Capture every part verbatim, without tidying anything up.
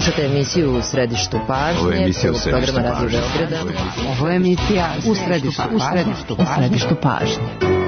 Slušate emisiju U središtu pažnje. Ovo je emisija U središtu pažnje. Ovo je emisija U središtu pažnje.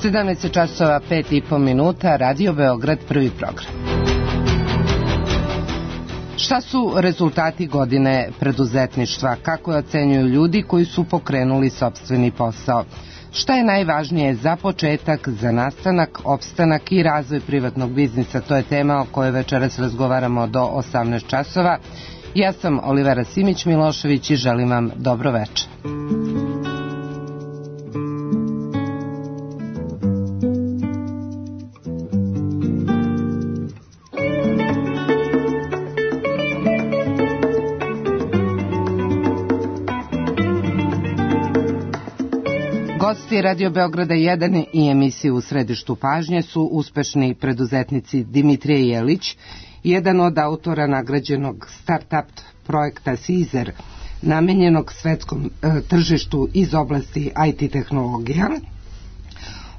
sedamnaest časova pet i po minuta, Radio Beograd, prvi program. Šta su rezultati godine preduzetništva? Kako je ocenjuju ljudi koji su pokrenuli sopstveni posao? Šta je najvažnije za početak, za nastanak, opstanak i razvoj privatnog biznisa? To je tema o kojoj večeras razgovaramo do osamnaest časova. Ja sam Olivera Simić-Milošević i želim vam dobro večer. Gosti Radio Beograda jedan i emisiju U središtu pažnje su uspešni preduzetnici Dimitrije Jelić, jedan od autora nagrađenog start-up projekta Sizer, namenjenog svetskom e, tržištu iz oblasti I T tehnologija.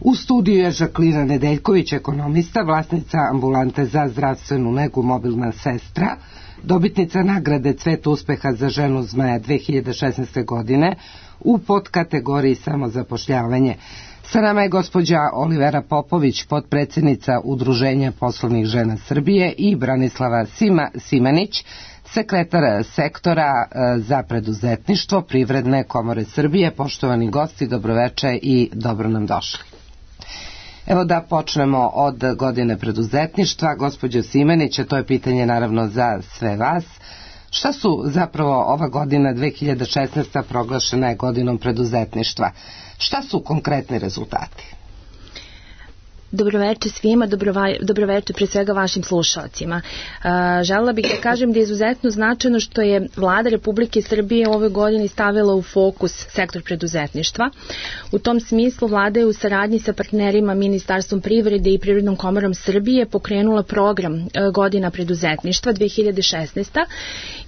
U studiju je Žaklina Nedeljković, ekonomista, vlasnica ambulante za zdravstvenu negu Mobilna sestra, dobitnica nagrade Cvet uspeha za ženu zmaja dve hiljade šesnaeste. godine u podkategoriji samozapošljavanje. Sa nama je gospođa Olivera Popović, potpredsednica Udruženja poslovnih žena Srbije, i Branislava Sima, Simanić, sekretar sektora za preduzetništvo Privredne komore Srbije. Poštovani gosti, dobroveče i dobro nam došli. Evo da počnemo od godine preduzetništva. Gospođo Simanić, to je pitanje naravno za sve vas. Šta su zapravo ova godina dve hiljade šesnaesta. proglašena je godinom preduzetništva? Šta su konkretni rezultati? Dobroveče svima, dobroveče pre svega vašim slušalcima. Želela bih da kažem da je izuzetno značajno što je Vlada Republike Srbije u ovoj godini stavila u fokus sektor preduzetništva. U tom smislu Vlada je u saradnji sa partnerima Ministarstvom privrede i Privrednom komorom Srbije pokrenula program Godina preduzetništva dve hiljade šesnaesta.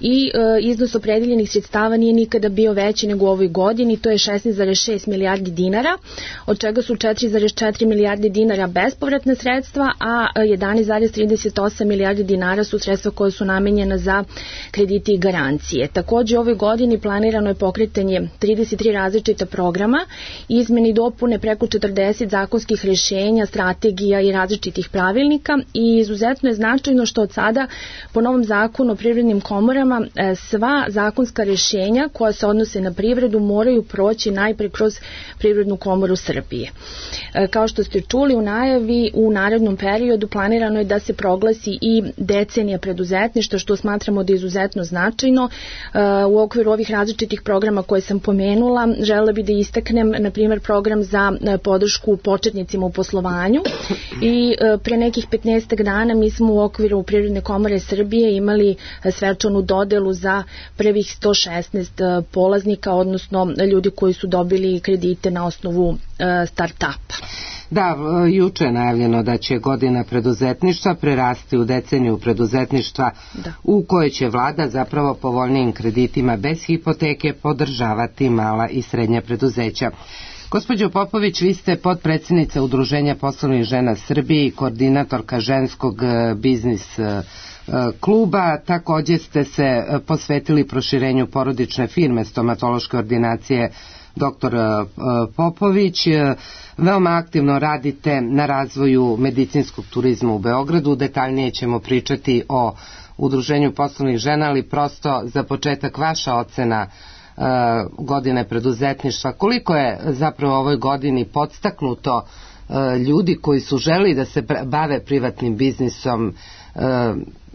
i iznos opredeljenih sredstava nije nikada bio veći nego u ovoj godini, to je šesnaest zarez šest milijardi dinara, od čega su četiri zarez četiri milijarde dinara bespovratna sredstva, a jedanaest zarez trideset osam milijardi dinara su sredstva koje su namenjena za kredite i garancije. Takođe, u ovoj godini planirano je pokretanje trideset tri različita programa, izmene i dopune preko četrdeset zakonskih rešenja, strategija i različitih pravilnika, i izuzetno je značajno što od sada po novom zakonu o privrednim komorama sva zakonska rešenja koja se odnose na privredu moraju proći najpre kroz Privrednu komoru Srbije. Kao što ste čuli u najavi, u narednom periodu planirano je da se proglasi i decenija preduzetništva, što smatramo da je izuzetno značajno. U okviru ovih različitih programa koje sam pomenula, želela bih da istaknem, na primjer, program za podršku početnicima u poslovanju, i pre nekih petnaestak dana mi smo u okviru Privredne komore Srbije imali svečanu dodelu za prvih sto šesnaest polaznika, odnosno ljudi koji su dobili kredite na osnovu start-upa. Da, juče je najavljeno da će godina preduzetništva prerasti u deceniju preduzetništva, da, u kojoj će vlada zapravo povoljnijim kreditima bez hipoteke podržavati mala i srednja preduzeća. Gospođo Popović, vi ste potpredsednica Udruženja poslovnih žena Srbije i koordinatorka ženskog biznis kluba. Takođe ste se posvetili proširenju porodične firme stomatološke ordinacije doktor Popović. Veoma aktivno radite na razvoju medicinskog turizma u Beogradu. Detaljnije ćemo pričati o Udruženju poslovnih žena, ali prosto za početak vaša ocena uh, godine preduzetništva. Koliko je zapravo u ovoj godini podstaknuto uh, ljudi koji su želi da se bave privatnim biznisom, uh,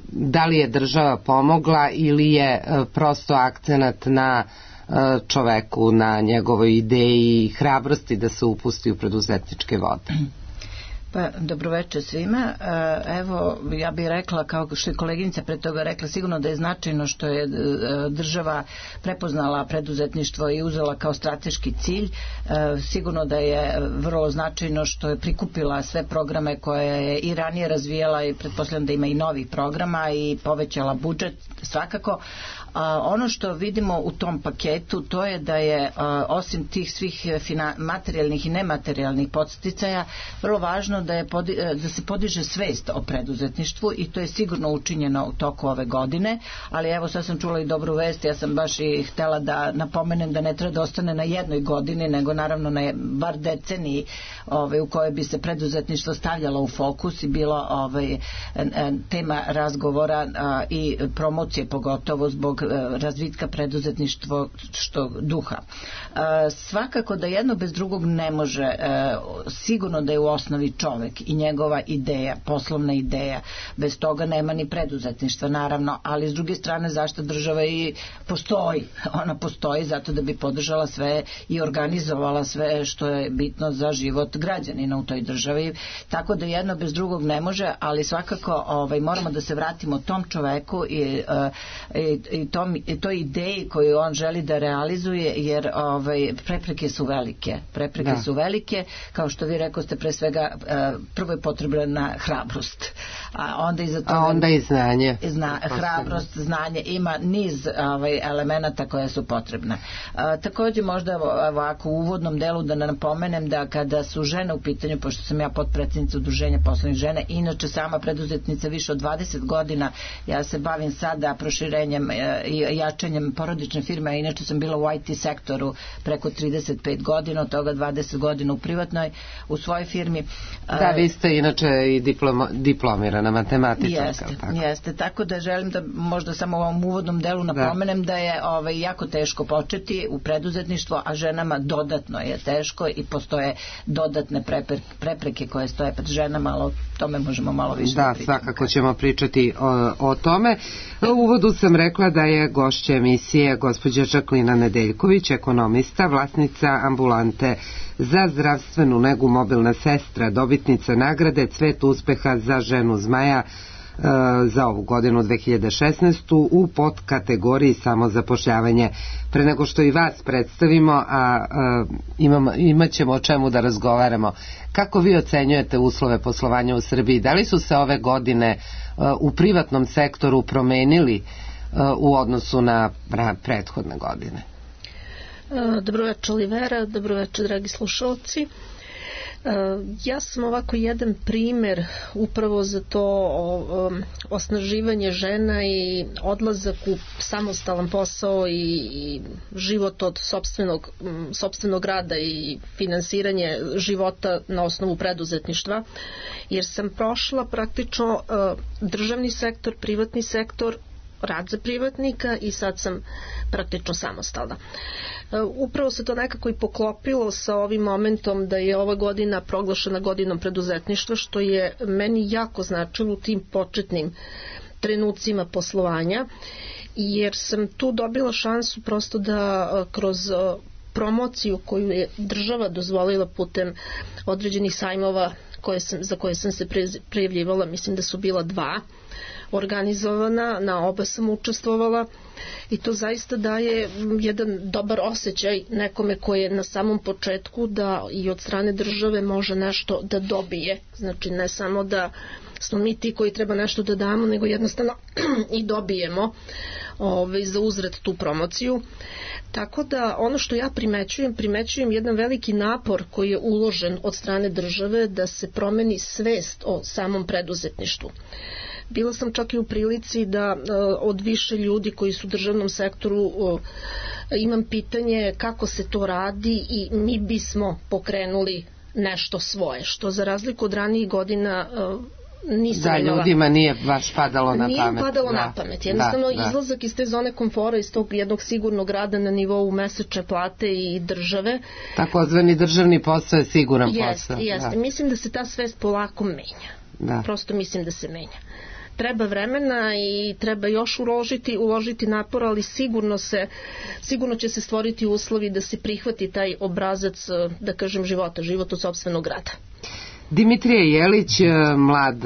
da li je država pomogla ili je uh, prosto akcenat na uh, čoveku, na njegovoj ideji i hrabrosti da se upusti u preduzetničke vode? Pa, dobroveče svima. Evo, ja bih rekla, kao što je koleginica pre toga rekla, sigurno da je značajno što je država prepoznala preduzetništvo i uzela kao strateški cilj. Sigurno da je vrlo značajno što je prikupila sve programe koje je i ranije razvijala i pretpostavljam da ima i novih programa i povećala budžet svakako. A ono što vidimo u tom paketu, to je da je a, osim tih svih fina, materijalnih i nematerijalnih podsticaja vrlo važno da, je podi, da se podiže svest o preduzetništvu i to je sigurno učinjeno u toku ove godine, ali evo sad sam čula i dobru vest, ja sam baš i htela da napomenem da ne treba da ostane na jednoj godini, nego naravno na bar deceniji ove, u kojoj bi se preduzetništvo stavljalo u fokus i bilo ove, tema razgovora a, i promocije pogotovo zbog razvitka preduzetništvo što duha. E, svakako da jedno bez drugog ne može, e, sigurno da je u osnovi čovek i njegova ideja, poslovna ideja, bez toga nema ni preduzetništva naravno, ali s druge strane zašto država i postoji, ona postoji zato da bi podržala sve i organizovala sve što je bitno za život građanina u toj državi, tako da jedno bez drugog ne može, ali svakako ovaj, moramo da se vratimo tom čoveku i, i, i tom, toj ideji koju on želi da realizuje, jer ovaj, prepreke su velike. Prepreke da. su velike, kao što vi rekoste, pre svega prvo je potrebna hrabrost. A onda i za to... A onda i znanje. Zna, hrabrost, znanje, ima niz ovaj, elemenata koje su potrebne. A, također možda ovako u uvodnom delu da napomenem da kada su žene u pitanju, pošto sam ja potpredsjednica Udruženja poslovnih žena, inače sama preduzetnica više od dvadeset godina, ja se bavim sada proširenjem i jačanjem porodične firme, a inače sam bila u I T sektoru preko trideset pet godina, od toga dvadeset godina u privatnoj, u svojoj firmi. Da, vi ste inače i diploma, diplomirana matematičarka. Jeste, tako. jeste, tako da želim da možda samo u ovom uvodnom delu napomenem da, da je ovaj, jako teško početi u preduzetništvo, a ženama dodatno je teško i postoje dodatne prepreke, prepreke koje stoje pred ženama, ali o tome možemo malo više da, da pričamo. Svakako ćemo pričati o, o tome. U uvodu sam rekla da je gošća emisije gospođa Žaklina Nedeljković, ekonomista, vlasnica ambulante za zdravstvenu negu Mobilna sestra, dobitnica nagrade Cvet uspeha za ženu zmaja e, za ovu godinu dve hiljade šesnaestu u podkategoriji samozapošljavanje. Pre nego što i vas predstavimo, a, a imamo, imat ćemo o čemu da razgovaramo, kako vi ocenjujete uslove poslovanja u Srbiji? Da li su se ove godine a, u privatnom sektoru promenili u odnosu na prethodne godine? Dobroveče Olivera, dobroveče dragi slušalci. Ja sam ovako jedan primer upravo za to osnaživanje žena i odlazak u samostalan posao i život od sopstvenog, sopstvenog rada i finansiranje života na osnovu preduzetništva, jer sam prošla praktično državni sektor, privatni sektor, rad za privatnika i sad sam praktično samostalna. Upravo se to nekako i poklopilo sa ovim momentom da je ova godina proglašena godinom preduzetništva, što je meni jako značilo u tim početnim trenucima poslovanja, jer sam tu dobila šansu prosto da kroz promociju koju je država dozvolila putem određenih sajmova koje sam, za koje sam se prijavljivala, mislim da su bila dva organizovana, na oba sam učestvovala i to zaista daje jedan dobar osjećaj nekome koji je na samom početku da i od strane države može nešto da dobije. Znači ne samo da smo mi ti koji treba nešto da damo, nego jednostavno i dobijemo ovaj, za uzvrat tu promociju. Tako da ono što ja primećujem, primećujem jedan veliki napor koji je uložen od strane države da se promeni svest o samom preduzetništvu. Bila sam čak i u prilici da od više ljudi koji su u državnom sektoru imam pitanje kako se to radi i mi bismo pokrenuli nešto svoje, što za razliku od ranijih godina nisam da, imala. ljudima nije baš padalo na nije pamet. Nije padalo da, na pamet. Jednostavno da, izlazak iz te zone komfora, iz tog jednog sigurnog rada na nivou mesečne plate i države. Takozvani državni posao je siguran jest, posao. Jeste, da. Mislim da se ta svest polako menja. Da. Prosto mislim da se menja. Treba vremena i treba još uložiti, uložiti napor, ali sigurno se, sigurno će se stvoriti uslovi da se prihvati taj obrazac, da kažem, života, život od sopstvenog rada. Dimitrije Jelić, mlad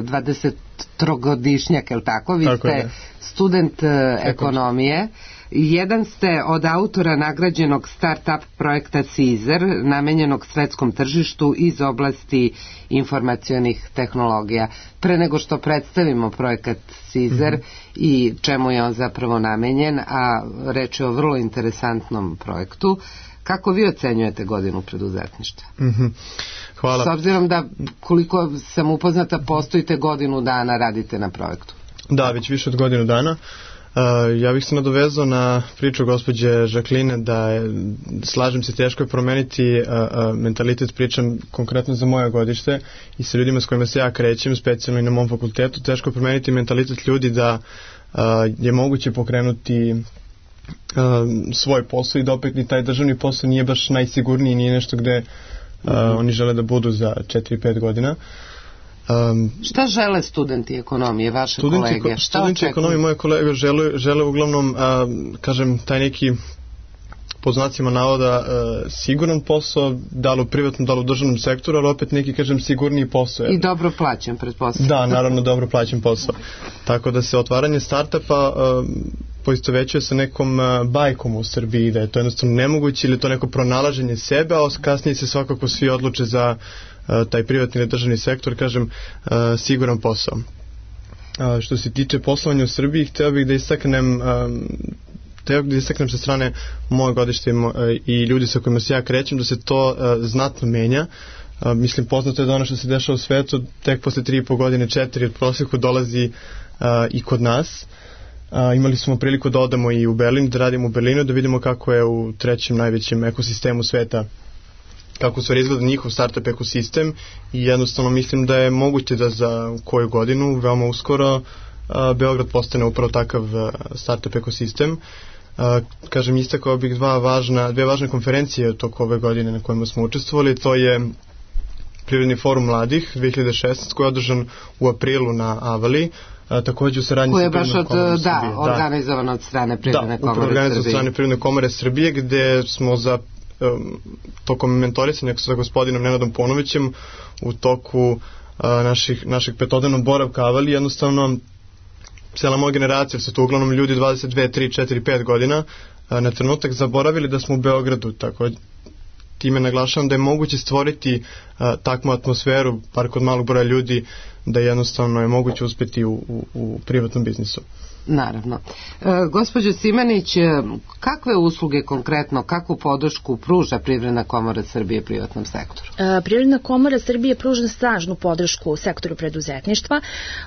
dvadesettrogodišnjak, je li tako? Vi tako ste je. Student ekonomije. Jedan ste od autora nagrađenog start-up projekta Cizer, namenjenog svetskom tržištu iz oblasti informacionih tehnologija. Pre nego što predstavimo projekat Cizer mm-hmm. i čemu je on zapravo namenjen, a reč je o vrlo interesantnom projektu, kako vi ocenjujete godinu preduzetništva? Mm-hmm. Hvala. S obzirom da, koliko sam upoznata, postojite godinu dana, radite na projektu. Da, već više od godinu dana. Uh, ja bih se nadovezao na priču gospođe Žakline da je, slažem se, teško je promeniti uh, uh, mentalitet, pričam konkretno za moje godište i sa ljudima s kojima se ja krećem, specijalno i na mom fakultetu, teško je promeniti mentalitet ljudi da uh, je moguće pokrenuti uh, svoj posao i da opet ni taj državni posao nije baš najsigurniji, nije nešto gde uh, mm-hmm. oni žele da budu za četiri pet godina. Um, Šta žele studenti ekonomije, vaše studenti, kolege? Šta studenti ekonomije, moje kolege žele, žele uglavnom, um, kažem, taj neki, po znacima navoda, uh, siguran posao, da li u privatnom, da li u državnom sektoru, ali opet neki, kažem, sigurniji posao. I dobro plaćen, pretpostavljam. Da, naravno, dobro plaćen posao. Tako da se otvaranje startupa uh, poistovećuje sa nekom uh, bajkom u Srbiji, da je to jednostavno nemoguće ili to neko pronalaženje sebe, a kasnije se svakako svi odluče za taj privatni ili državni sektor, kažem, uh, siguran posao. Uh, što se tiče poslovanja u Srbiji, hteo bih da istaknem um, hteo bih da istaknem sa strane moje godište uh, i ljudi sa kojima se ja krećem, da se to uh, znatno menja. Uh, mislim, poznato je da ono što se dešava u svetu, tek posle tri i po godine, četiri od prosjeku dolazi uh, i kod nas. Uh, imali smo priliku da odamo i u Berlin, da radimo u Berlinu, da vidimo kako je u trećem najvećem ekosistemu sveta, kako se izgleda njihov startup ekosistem i jednostavno mislim da je moguće da za koju godinu, veoma uskoro, uh, Beograd postane upravo takav uh, startup ekosistem. Uh, kažem, istakao bih dva važna, dve važne konferencije toko ove godine na kojima smo učestvovali. To je Privredni forum mladih dve hiljade šesnaeste koji je održan u aprilu na Avali, a, takođe u saradnji sa Privrednom komorom Srbije. Da, organizovan od strane Privredne komore Srbije. Da, organizovan od strane Privredne komore Srbije, gde smo za um, tokom mentorisanja sa gospodinom Nenadom Ponovićem u toku uh, naših, našeg petodnevnog boravka Avali, jednostavno cijela moja generacija, su to uglavnom ljudi dvadeset dve, tri, četiri, pet godina, uh, na trenutak zaboravili da smo u Beogradu, tako time naglašavam da je moguće stvoriti uh, takvu atmosferu, par kod malog broja ljudi, da jednostavno je moguće uspeti u, u, u privatnom biznisu. Naravno. E, gospođo Simanić, kakve usluge konkretno, kakvu podršku pruža Privredna komora Srbije privatnom sektoru? E, Privredna komora Srbije pruža snažnu podršku u sektoru preduzetništva.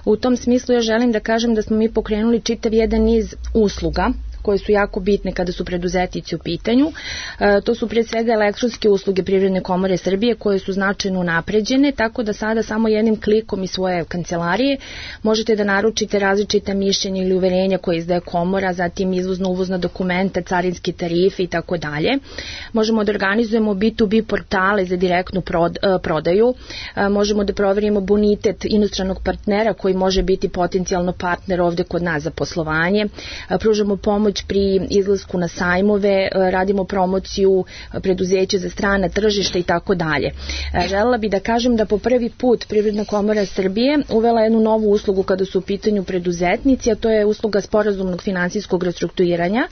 U tom smislu ja želim da kažem da smo mi pokrenuli čitav jedan niz usluga koje su jako bitne kada su preduzetnici u pitanju. E, to su pre svega elektronske usluge Privredne komore Srbije koje su značajno unapređene, tako da sada samo jednim klikom iz svoje kancelarije možete da naručite različita mišljenja ili uverenja koje izdaje komora, zatim izvozno-uvozna dokumenta, carinske tarife i tako dalje. Možemo da organizujemo B to B portale za direktnu prod, prodaju, e, možemo da proverimo bonitet inostranog partnera koji može biti potencijalno partner ovde kod nas za poslovanje, e, pružamo pomoć pri izlasku na sajmove, radimo promociju preduzeća za strana tržišta i tako dalje. Želela bih da kažem da po prvi put Privredna komora Srbije uvela jednu novu uslugu kada su u pitanju preduzetnici, a to je usluga sporazumnog finansijskog restrukturiranja,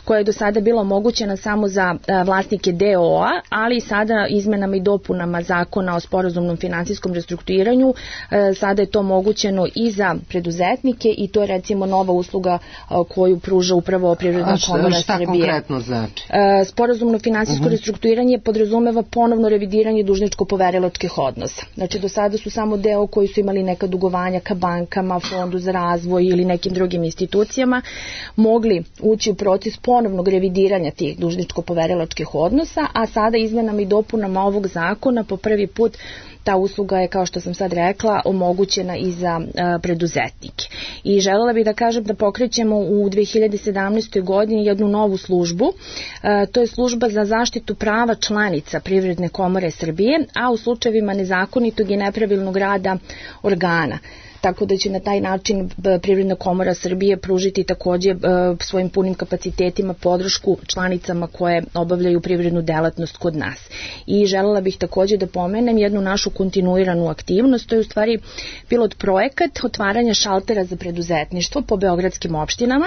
koja je do sada bila omogućena samo za vlasnike D O A, ali sada izmenama i dopunama zakona o sporazumnom finansijskom restrukturiranju sada je to omogućeno i za preduzetnike i to je recimo nova usluga koju pruža upravo Privredna komora Srbije. Šta konkretno znači? Sporazumno finansijsko uh-huh. restrukturiranje podrazumeva ponovno revidiranje dužničko-poverilačkih odnosa. Znači, do sada su samo deo koji su imali neka dugovanja ka bankama, fondu za razvoj ili nekim drugim institucijama, mogli ući u proces ponovnog revidiranja tih dužničko-poverilačkih odnosa, a sada izmenama i dopunama ovog zakona po prvi put ta usluga je, kao što sam sad rekla, omogućena i za preduzetnike. I želela bih da kažem da pokrećemo u dve hiljade sedamnaestoj. godini jednu novu službu. To je služba za zaštitu prava članica Privredne komore Srbije, a u slučajevima nezakonitog i nepravilnog rada organa. Tako da će na taj način Privredna komora Srbije pružiti takođe svojim punim kapacitetima podršku članicama koje obavljaju privrednu delatnost kod nas. I želela bih takođe da pomenem jednu našu kontinuiranu aktivnost, to je u stvari pilot projekat otvaranja šaltera za preduzetništvo po beogradskim opštinama.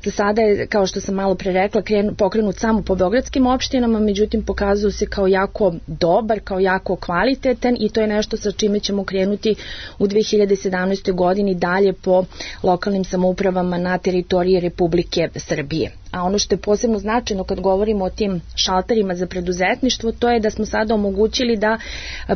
Za sada je, kao što sam malo pre rekla, pokrenut samo po beogradskim opštinama, međutim pokazao se kao jako dobar, kao jako kvalitetan i to je nešto sa čime ćemo krenuti u dve hiljade sedamnaestoj. godini dalje po lokalnim samoupravama na teritoriji Republike Srbije. A ono što je posebno značajno kad govorimo o tim šalterima za preduzetništvo, to je da smo sada omogućili da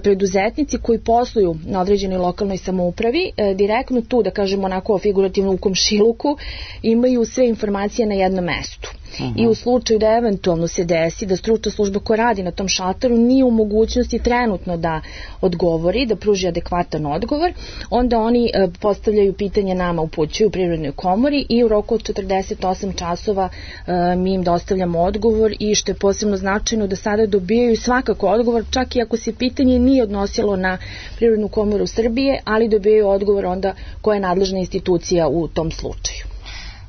preduzetnici koji posluju na određenoj lokalnoj samoupravi direktno tu, da kažemo onako figurativno u komšiluku, imaju sve informacije na jednom mestu. Uh-huh. I u slučaju da eventualno se desi da stručna služba koja radi na tom šalteru nije u mogućnosti trenutno da odgovori, da pruži adekvatan odgovor, onda oni e, postavljaju pitanje nama, upućuju Privrednoj komori i u roku od četrdeset osam časova e, mi im dostavljamo odgovor i što je posebno značajno da sada dobijaju svakako odgovor, čak i ako se pitanje nije odnosilo na Privrednu komoru Srbije, ali dobijaju odgovor onda koja je nadležna institucija u tom slučaju.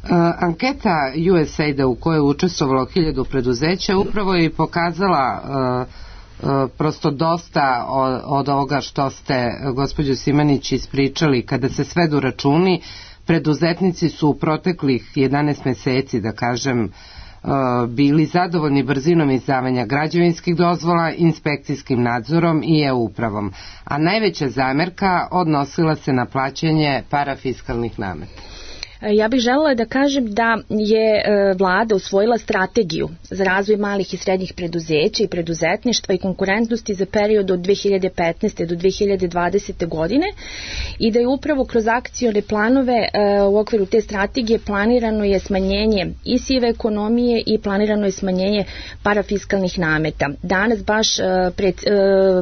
Uh, anketa U S A I D-a u kojoj je učestvovalo hiljadu preduzeća upravo je i pokazala uh, uh, prosto dosta od, od ovoga što ste, gospođo Simanić, ispričali. Kada se svedu računi, preduzetnici su u proteklih jedanaest meseci, da kažem, uh, bili zadovoljni brzinom izdavanja građevinskih dozvola, inspekcijskim nadzorom i e-upravom, a najveća zamerka odnosila se na plaćanje parafiskalnih nameta. Ja bih želela da kažem da je vlada usvojila strategiju za razvoj malih i srednjih preduzeća i preduzetništva i konkurentnosti za period od dve hiljade petnaeste do dve hiljade dvadesete. godine i da je upravo kroz akcione planove u okviru te strategije planirano je smanjenje i sive ekonomije i planirano je smanjenje parafiskalnih nameta. Danas baš pred,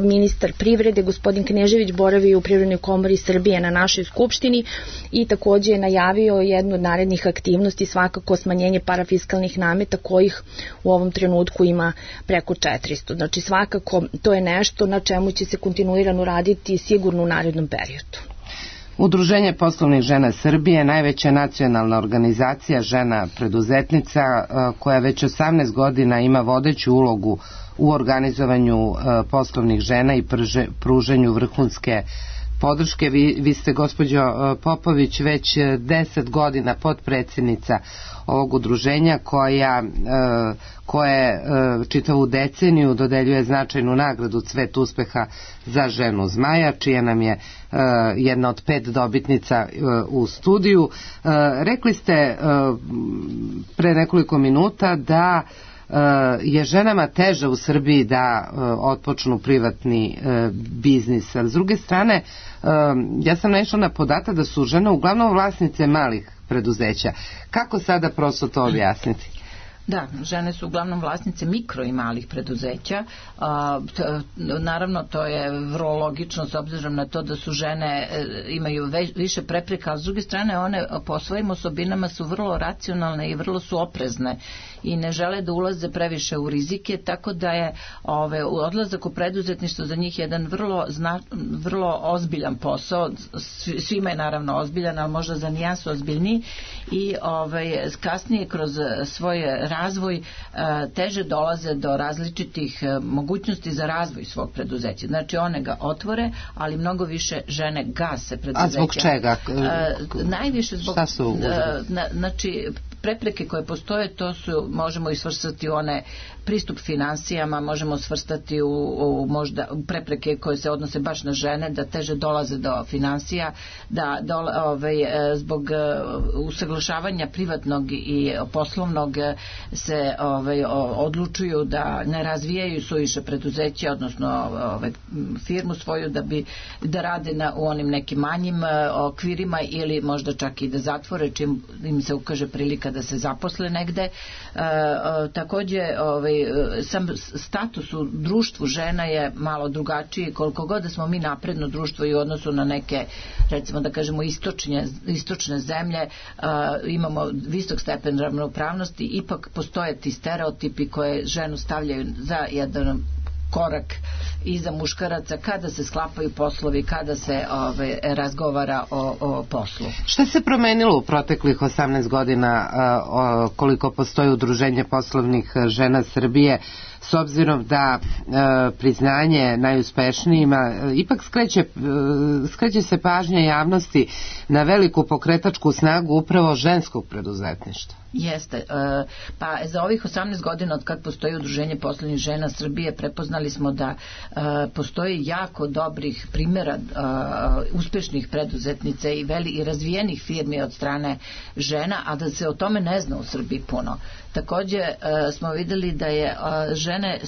ministar privrede gospodin Knežević boravi u Privrednoj komori Srbije na našoj skupštini i takođe je najavio jednu od narednih aktivnosti, svakako smanjenje parafiskalnih nameta kojih u ovom trenutku ima preko četiristo. Znači svakako to je nešto na čemu će se kontinuirano raditi sigurno u narednom periodu. Udruženje poslovnih žena Srbije, najveća nacionalna organizacija žena preduzetnica koja već osamnaest godina ima vodeću ulogu u organizovanju poslovnih žena i pruženju vrhunske podrške. Vi, vi ste, gospođo Popović, već deset godina potpredsjednica ovog udruženja koja, koje čitavu deceniju dodeljuje značajnu nagradu Cvet uspeha za ženu zmaja, čija nam je jedna od pet dobitnica u studiju. Rekli ste pre nekoliko minuta da je ženama teže u Srbiji da otpočnu privatni biznis. A s druge strane, ja sam naišla na podatak da su žene uglavnom vlasnice malih preduzeća. Kako sada prosto to objasniti? Da, žene su uglavnom vlasnice mikro i malih preduzeća. A, t, naravno, to je vrlo logično s obzirom na to da su žene e, imaju ve, više prepreka, a s druge strane one po svojim osobinama su vrlo racionalne i vrlo su oprezne i ne žele da ulaze previše u rizike, tako da je ove, odlazak u preduzetništvo za njih jedan vrlo, zna, vrlo ozbiljan posao. Svima je naravno ozbiljan, ali možda za nijansu ozbiljniji i ove, kasnije kroz svoje razvoj teže dolaze do različitih mogućnosti za razvoj svog preduzeća. Znači one ga otvore, ali mnogo više žene gase preduzeća. A zbog čega? Najviše zbog... Znači prepreke koje postoje, to su, možemo i svrstati u one pristup finansijama, možemo svrstati u, u možda prepreke koje se odnose baš na žene, da teže dolaze do finansija, da dole, ovaj, zbog usaglašavanja privatnog i poslovnog se ovaj, odlučuju da ne razvijaju suviše preduzeće, odnosno ovaj, firmu svoju da bi da rade na, u onim nekim manjim okvirima ili možda čak i da zatvore čim im se ukaže prilika kada se zaposle negde. Takođe, ovaj, sam status u društvu žena je malo drugačiji, koliko god da smo mi napredno društvo i u odnosu na neke, recimo da kažemo, istočne, istočne zemlje, imamo visok stepen ravnopravnosti, ipak postoje ti stereotipi koje ženu stavljaju za jedan korak iza muškaraca kada se sklapaju poslovi, kada se ove, razgovara o, o poslu. Šta se promenilo u proteklih osamnaest godina o, koliko postoji Udruženje poslovnih žena Srbije, s obzirom da e, priznanje najuspešnijima e, ipak skreće, e, skreće se pažnja javnosti na veliku pokretačku snagu upravo ženskog preduzetništva? Jeste. E, pa za ovih osamnaest godina od kad postoji Udruženje poslovnih žena Srbije prepoznali smo da e, postoji jako dobrih primjera e, uspešnih preduzetnica i, veli, i razvijenih firmi od strane žena, a da se o tome ne zna u Srbiji puno. Takođe e, smo videli da je e, žene e,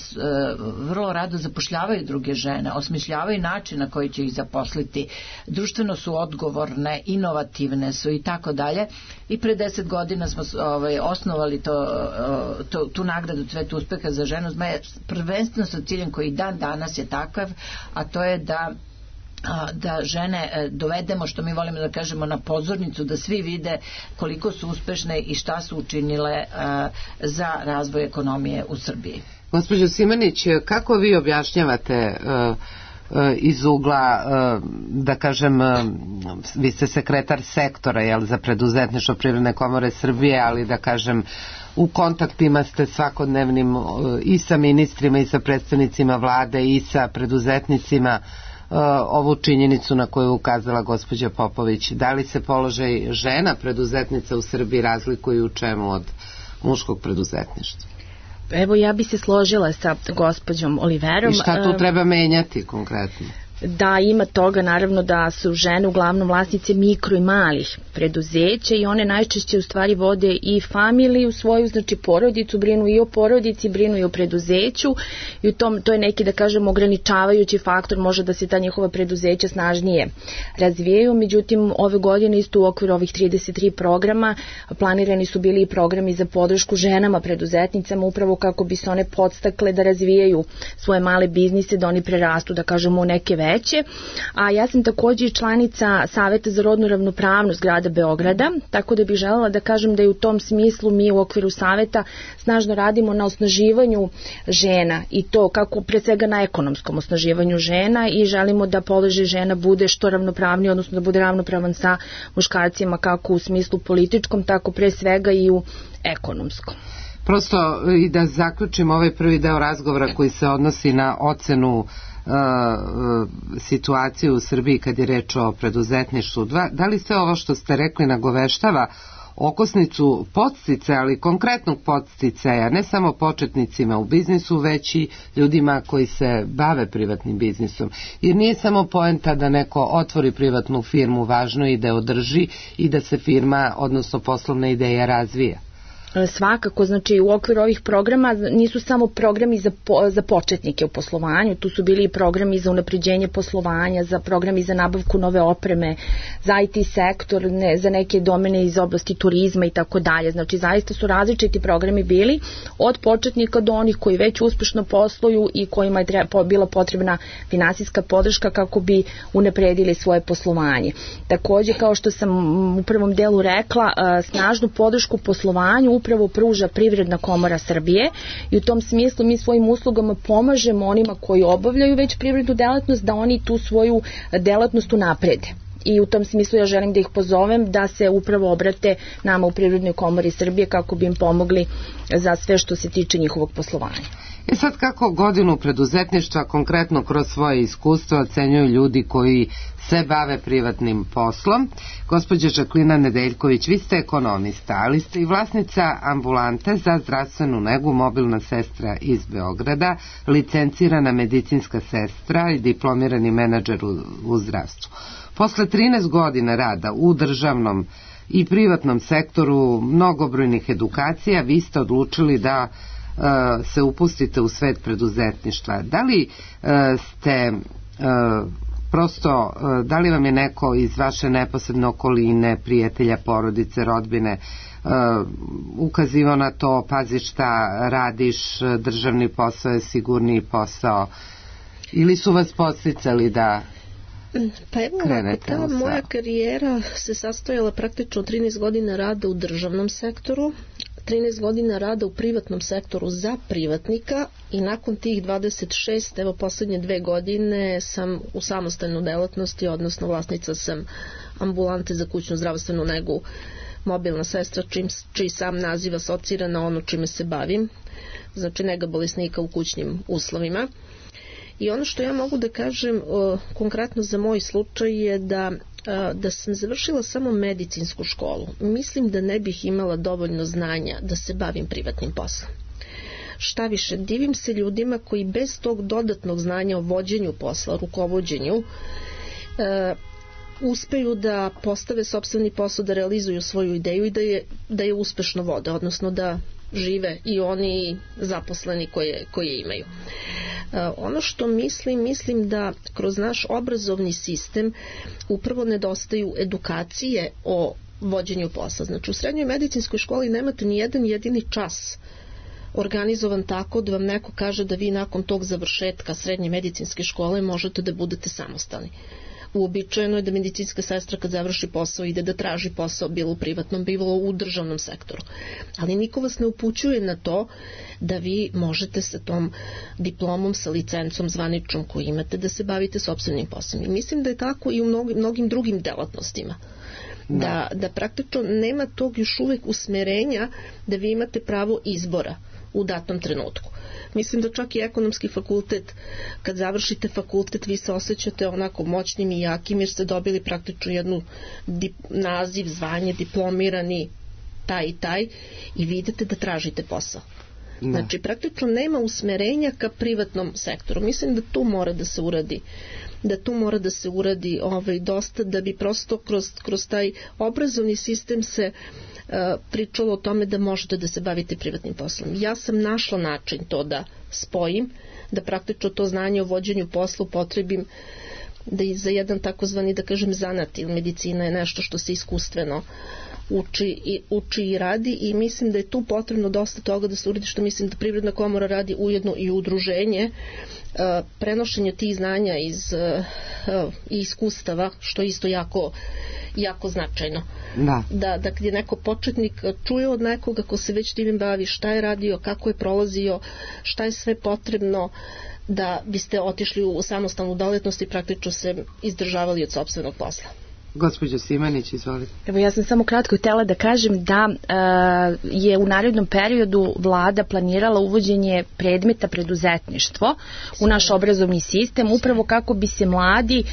vrlo rado zapošljavaju druge žene, osmišljavaju način na koji će ih zaposliti, društveno su odgovorne, inovativne su i tako dalje. I pre deset godina smo ovaj, osnovali to, to, tu nagradu Cvet uspeha za ženu zmaja, prvenstveno sa ciljem koji dan danas je takav, a to je da da žene dovedemo, što mi volimo da kažemo, na pozornicu, da svi vide koliko su uspešne i šta su učinile za razvoj ekonomije u Srbiji. Gospođo Simanić, kako vi objašnjavate iz ugla, da kažem, vi ste sekretar sektora, jel, za preduzetništvo Privredne komore Srbije, ali da kažem u kontaktima ste svakodnevnim i sa ministrima i sa predstavnicima vlade i sa preduzetnicima, ovu činjenicu na koju ukazala gospođa Popović. Da li se položaj žena preduzetnica u Srbiji razlikuju u čemu od muškog preduzetništva? Evo, ja bi se složila sa gospođom Oliverom. I šta tu treba menjati konkretno? Da, ima toga, naravno da su žene uglavnom vlasnice mikro i malih preduzeća i one najčešće u stvari vode i familiju svoju, znači porodicu, brinu i o porodici, brinu i o preduzeću i u tom, to je neki, da kažem, ograničavajući faktor, može da se ta njihova preduzeća snažnije razvijaju. Međutim, ove godine isto u okviru ovih trideset tri programa planirani su bili i programi za podršku ženama preduzetnicama, upravo kako bi se one podstakle da razvijaju svoje male biznise, da oni prerastu, da kažemo, u neke veće. A ja sam takođe članica Saveta za rodnu ravnopravnost grada Beograda, tako da bih želela da kažem da je u tom smislu mi u okviru Saveta snažno radimo na osnaživanju žena i to kako pre svega na ekonomskom osnaživanju žena i želimo da položaj žena bude što ravnopravniji, odnosno da bude ravnopravan sa muškarcima kako u smislu političkom, tako pre svega i u ekonomskom. Prosto i da zaključim ovaj prvi deo razgovora koji se odnosi na ocenu situaciju u Srbiji kad je reč o preduzetništvu. Da li sve ovo što ste rekli nagoveštava okosnicu podsticaja, ali konkretnog podsticaja, ne samo početnicima u biznisu, već i ljudima koji se bave privatnim biznisom? Jer nije samo poenta da neko otvori privatnu firmu, važno je i da održi i da se firma, odnosno poslovna ideja razvija. Svakako, znači u okviru ovih programa nisu samo programi za, po, za početnike u poslovanju, tu su bili i programi za unapređenje poslovanja, za programi za nabavku nove opreme, za I T sektor, ne, za neke domene iz oblasti turizma i tako dalje. Znači zaista su različiti programi bili od početnika do onih koji već uspešno posluju i kojima je treba, bila potrebna finansijska podrška kako bi unapredili svoje poslovanje. Takođe, kao što sam u prvom delu rekla, snažnu podršku poslovanju upravo pruža Privredna komora Srbije i u tom smislu mi svojim uslugama pomažemo onima koji obavljaju već privrednu delatnost da oni tu svoju delatnost unaprede. I u tom smislu ja želim da ih pozovem da se upravo obrate nama u Privrednoj komori Srbije kako bi im pomogli za sve što se tiče njihovog poslovanja. E sad, kako godinu preduzetništva konkretno kroz svoje iskustvo ocenjuju ljudi koji se bave privatnim poslom? Gospođa Žaklina Nedeljković, vi ste ekonomista, ali ste i vlasnica ambulante za zdravstvenu negu, mobilna sestra iz Beograda, licencirana medicinska sestra i diplomirani menadžer u, u zdravstvu. Posle trinaest godina rada u državnom i privatnom sektoru, mnogobrojnih edukacija, vi ste odlučili da se upustite u svet preduzetništva. Da li ste prosto, da li vam je neko iz vaše neposredne okoline, prijatelja, porodice, rodbine, ukazivao na to, pazi šta radiš, državni posao je sigurniji posao, ili su vas podsticali da pa evo, krenete? Ta moja karijera se sastojala praktično trinaest godina rada u državnom sektoru, trinaest godina rada u privatnom sektoru za privatnika i nakon tih dvadeset šest, evo poslednje dve godine sam u samostalnoj delatnosti, odnosno vlasnica sam ambulante za kućnu zdravstvenu negu, mobilna sestra, čim, čiji sam naziv asocira na ono čime se bavim, znači nega bolesnika u kućnim uslovima. I ono što ja mogu da kažem o, konkretno za moj slučaj je da, a, da sam završila samo medicinsku školu. Mislim da ne bih imala dovoljno znanja da se bavim privatnim poslom. Šta više, divim se ljudima koji bez tog dodatnog znanja o vođenju posla, rukovođenju, a, uspeju da postave sopstveni posao, da realizuju svoju ideju i da je, da je uspešno vode, odnosno da žive i oni zaposleni koje, koje imaju. Ono što mislim, mislim da kroz naš obrazovni sistem upravo nedostaju edukacije o vođenju posla. Znači u srednjoj medicinskoj školi nemate ni jedan jedini čas organizovan tako da vam neko kaže da vi nakon tog završetka srednje medicinske škole možete da budete samostalni. Uobičajeno je da medicinska sestra kad završi posao ide da traži posao bilo u privatnom, bilo u državnom sektoru. Ali niko vas ne upućuje na to da vi možete sa tom diplomom, sa licencom zvaničnom koju imate da se bavite sopstvenim poslom. I mislim da je tako i u mnogim, mnogim drugim delatnostima. Da, da praktično nema tog još uvek usmerenja da vi imate pravo izbora u datom trenutku. Mislim da čak i ekonomski fakultet, kad završite fakultet, vi se osjećate onako moćnim i jakim jer ste dobili praktično jednu dip, naziv, zvanje, diplomirani taj i taj i vi idete da tražite posao. Ne. Znači praktično nema usmerenja ka privatnom sektoru. Mislim da tu mora da se uradi da tu mora da se uradi ovaj, dosta da bi prosto kroz, kroz taj obrazovni sistem se uh, pričalo o tome da možete da se bavite privatnim poslom. Ja sam našla način to da spojim, da praktično to znanje o vođenju posla upotrebim da i za jedan takozvani, da kažem, zanat ili medicina je nešto što se iskustveno uči i, uči i radi i mislim da je tu potrebno dosta toga da se uradi, što mislim da Privredna komora radi ujedno i udruženje, uh, prenošenje tih znanja iz uh, uh, iskustava, što je isto jako, jako značajno. Da. Da, da kad je neko početnik čuje od nekoga ko se već tim bavi šta je radio, kako je prolazio, šta je sve potrebno da biste otišli u samostalnu delatnost i praktično se izdržavali od sopstvenog posla. Gospođo Simanić, izvolite. Evo, ja sam samo kratko htjela da kažem da uh, je u narednom periodu vlada planirala uvođenje predmeta preduzetništvo u naš obrazovni sistem, upravo kako bi se mladi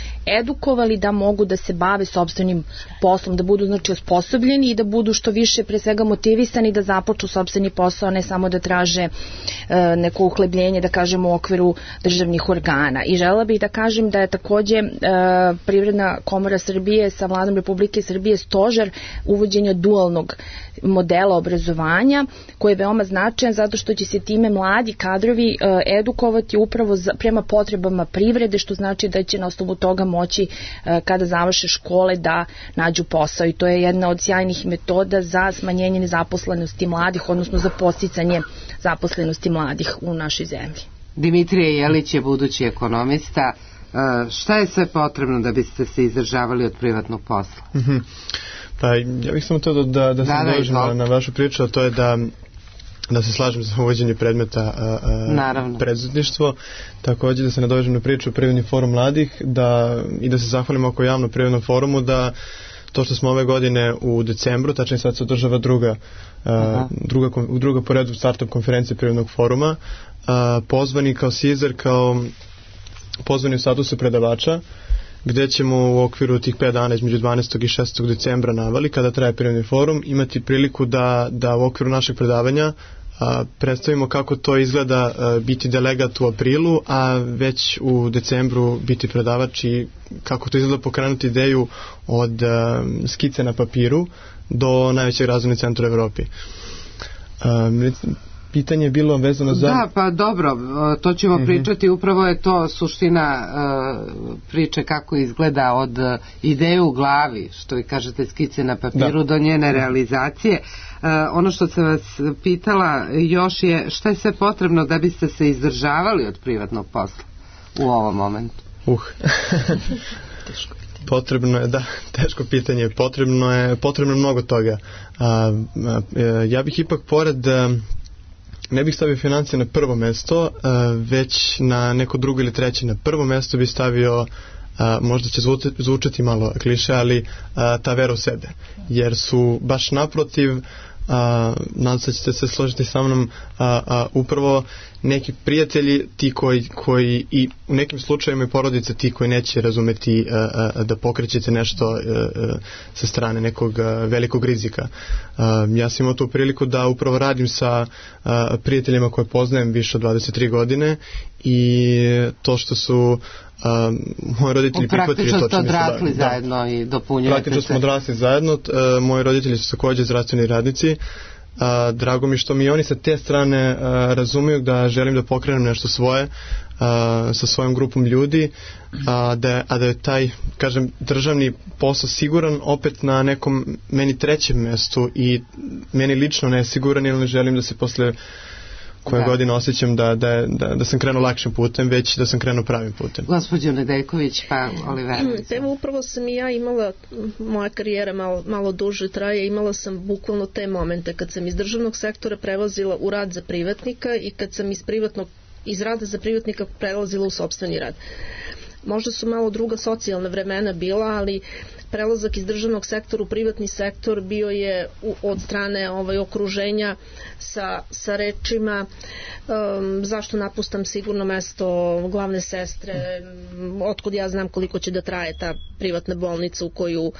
edukovali da mogu da se bave sopstvenim poslom, da budu znači osposobljeni i da budu što više pre svega motivisani da započnu sopstveni posao, a ne samo da traže uh, neko uhlebljenje, da kažemo, u okviru državnih organa. I želela bih da kažem da je takođe uh, Privredna komora Srbije sa vladom Republike Srbije stožer uvođenja dualnog modela obrazovanja, koji je veoma značajan zato što će se time mladi kadrovi uh, edukovati upravo za, prema potrebama privrede, što znači da će na osnovu toga moći uh, kada završe škole da nađu posao i to je jedna od sjajnih metoda za smanjenje nezaposlenosti mladih, odnosno za podsticanje zaposlenosti mladih u našoj zemlji. Dimitrije Jelić je budući ekonomista. Uh, šta je sve potrebno da biste se izdržavali od privatnog posla? Mm-hmm. Pa ja bih samo to da, da, da se da, dođem na, na vašu priču, a to je da da se slažem za uvođenje predmeta uh, preduzetništvo, također da se nadovežem na priču o Privredni forum mladih da, i da se zahvalimo oko javno Privrednom forumu da to što smo ove godine u decembru, tačnije sad se održava druga, uh, druga, druga po redu startup konferencije Privrednog foruma, uh, pozvani kao Sizer, kao pozvani u statusu predavača, gde ćemo u okviru tih pet dana između dvanaestog i šesnaestog decembra navali, kada traje Privredni forum, imati priliku da, da u okviru našeg predavanja a, predstavimo kako to izgleda a, biti delegat u aprilu, a već u decembru biti predavač i kako to izgleda pokrenuti ideju od a, skice na papiru do najvećeg razvojnog centra u Evropi. A, pitanje je bilo vezano za... Da, pa dobro, to ćemo mm-hmm. pričati, upravo je to suština uh, priče kako izgleda od uh, ideje u glavi, što vi kažete skice na papiru, da. do njene realizacije. Uh, ono što sam vas pitala još je šta je sve potrebno da biste se izdržavali od privatnog posla u ovom momentu? Uh. Teško. Potrebno je, da, teško pitanje, potrebno je, potrebno je mnogo toga. A, a, ja bih ipak pored, a, ne bih stavio financije na prvo mesto, a, već na neko drugo ili treće. Na prvo mesto bih stavio, a, možda će zvučati, zvučati malo kliše, ali a, ta vera u sebe. Jer su baš naprotiv, a, nadam se ćete se složiti sa mnom, a, a, upravo neki prijatelji ti koji, koji i u nekim slučajevima i porodice ti koji neće razumeti a, a, da pokrećete nešto a, a, sa strane nekog a, velikog rizika. A, ja sam imao tu priliku da upravo radim sa a, prijateljima koje poznajem više od dvadeset tri godine i to što su Uh, moji roditelji prihvatili to. Praktično ste odrasli da, zajedno da, i dopunjujete se. Praktično smo odrasli zajedno. Uh, moji roditelji su također zdravstveni radnici. Uh, drago mi što mi oni sa te strane uh, razumiju da želim da pokrenem nešto svoje uh, sa svojom grupom ljudi, a da, a da je taj, kažem, državni posao siguran opet na nekom meni trećem mestu i meni lično nesiguran, jer ne želim da se posle koje da. godine osjećam da, da, da, da sam krenuo lakšim putem, već da sam krenuo pravim putem. Gospođo Nedeljković, pa Olivera. Evo, upravo sam i ja imala, moja karijera malo, malo duže traje, imala sam bukvalno te momente kad sam iz državnog sektora prelazila u rad za privatnika i kad sam iz privatnog, iz rada za privatnika prelazila u sopstveni rad. Možda su malo druga socijalna vremena bila, ali prelazak iz državnog sektora u privatni sektor bio je u, od strane ovaj, okruženja sa, sa rečima um, zašto napustam sigurno mesto glavne sestre, otkud ja znam koliko će da traje ta privatna bolnica u koju,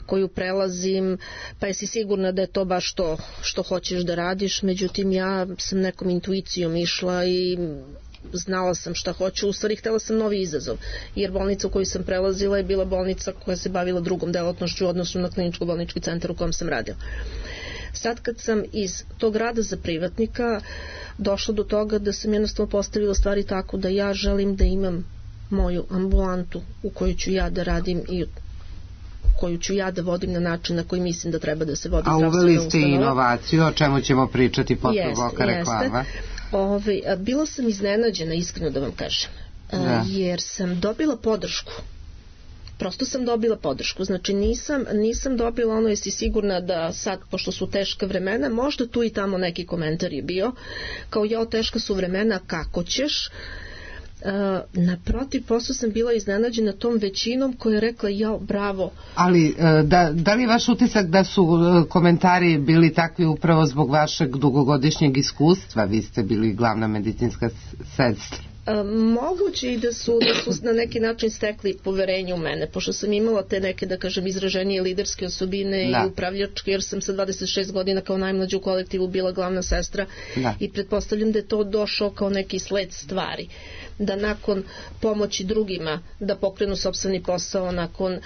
koju prelazim, pa jesi sigurna da je to baš to što hoćeš da radiš. Međutim, ja sam nekom intuicijom išla i znala sam šta hoću, u stvari htjela sam novi izazov, jer bolnica u koju sam prelazila je bila bolnica koja se bavila drugom delatnošću u odnosu na kliničko-bolnički centar u kojem sam radila. Sad kad sam iz tog rada za privatnika došla do toga da sam jednostavno postavila stvari tako da ja želim da imam moju ambulantu u kojoj ću ja da radim i koju ću ja da vodim na način na koji mislim da treba da se vodi zdravstvena ustanova. A uveli ste inovaciju, o čemu ćemo pričati posle bloka reklama. Ove, bila sam iznenađena, iskreno da vam kažem, da. jer sam dobila podršku. Prosto sam dobila podršku. Znači nisam, nisam dobila ono, jesi sigurna da sad, pošto su teška vremena, možda tu i tamo neki komentar je bio, kao jao, teška su vremena, kako ćeš? Uh, naprotiv, posle sam bila iznenađena tom većinom koja je rekla jao, bravo. Ali da, da li je vaš utisak da su komentari bili takvi upravo zbog vašeg dugogodišnjeg iskustva? Vi ste bili glavna medicinska sestra. Uh, moguće i da su, da su na neki način stekli poverenje u mene, pošto sam imala te neke, da kažem, izraženije liderske osobine da. i upravljačke, jer sam sa dvadeset šest godina kao najmlađa u kolektivu bila glavna sestra da. i pretpostavljam da je to došao kao neki sled stvari, da nakon pomoći drugima da pokrenu sopstveni posao, nakon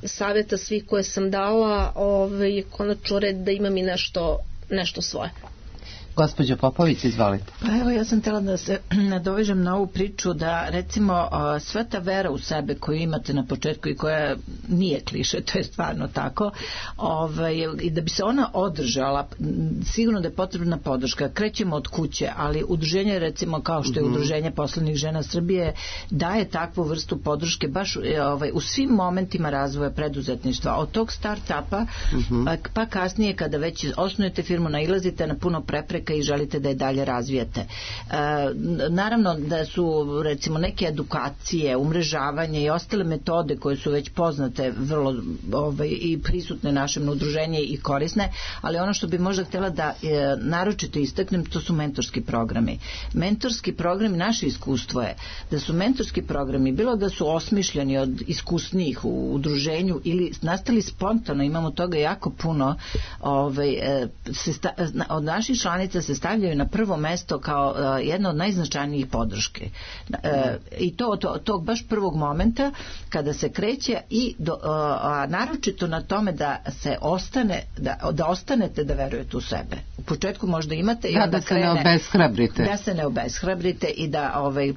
savjeta svih koje sam dala, ovaj, konačno red da imam i nešto, nešto svoje. Gospođo Popović, izvolite. Pa evo, ja sam htjela da se nadovežem na ovu priču da recimo sva ta vera u sebe koju imate na početku i koja nije kliše, to je stvarno tako, ovaj, i da bi se ona održala, sigurno da je potrebna podrška. Krećemo od kuće, ali udruženje recimo kao što je Udruženje poslovnih žena Srbije daje takvu vrstu podrške baš ovaj, u svim momentima razvoja preduzetništva. Od tog start-upa uh-huh. pa, pa kasnije kada već osnujete firmu, nailazite na puno prepreka i želite da je dalje razvijete. E, naravno da su recimo neke edukacije, umrežavanje i ostale metode koje su već poznate vrlo ovaj, i prisutne našem udruženju i korisne, ali ono što bi možda htjela da e, naročito istaknem, to su mentorski programi. Mentorski programi, naše iskustvo je da su mentorski programi, bilo da su osmišljeni od iskusnijih u udruženju ili nastali spontano, imamo toga jako puno, ovaj, e, se sta, od naših članica se stavljaju na prvo mesto kao uh, jedna od najznačajnijih podrške. Uh, I to od tog baš prvog momenta kada se kreće i do, uh, a naročito na tome da se ostane, da, da ostanete da verujete u sebe. početku možda imate i da, onda da se krene, ne obeshrabrite. Da se ne obeshrabrite i da ovaj,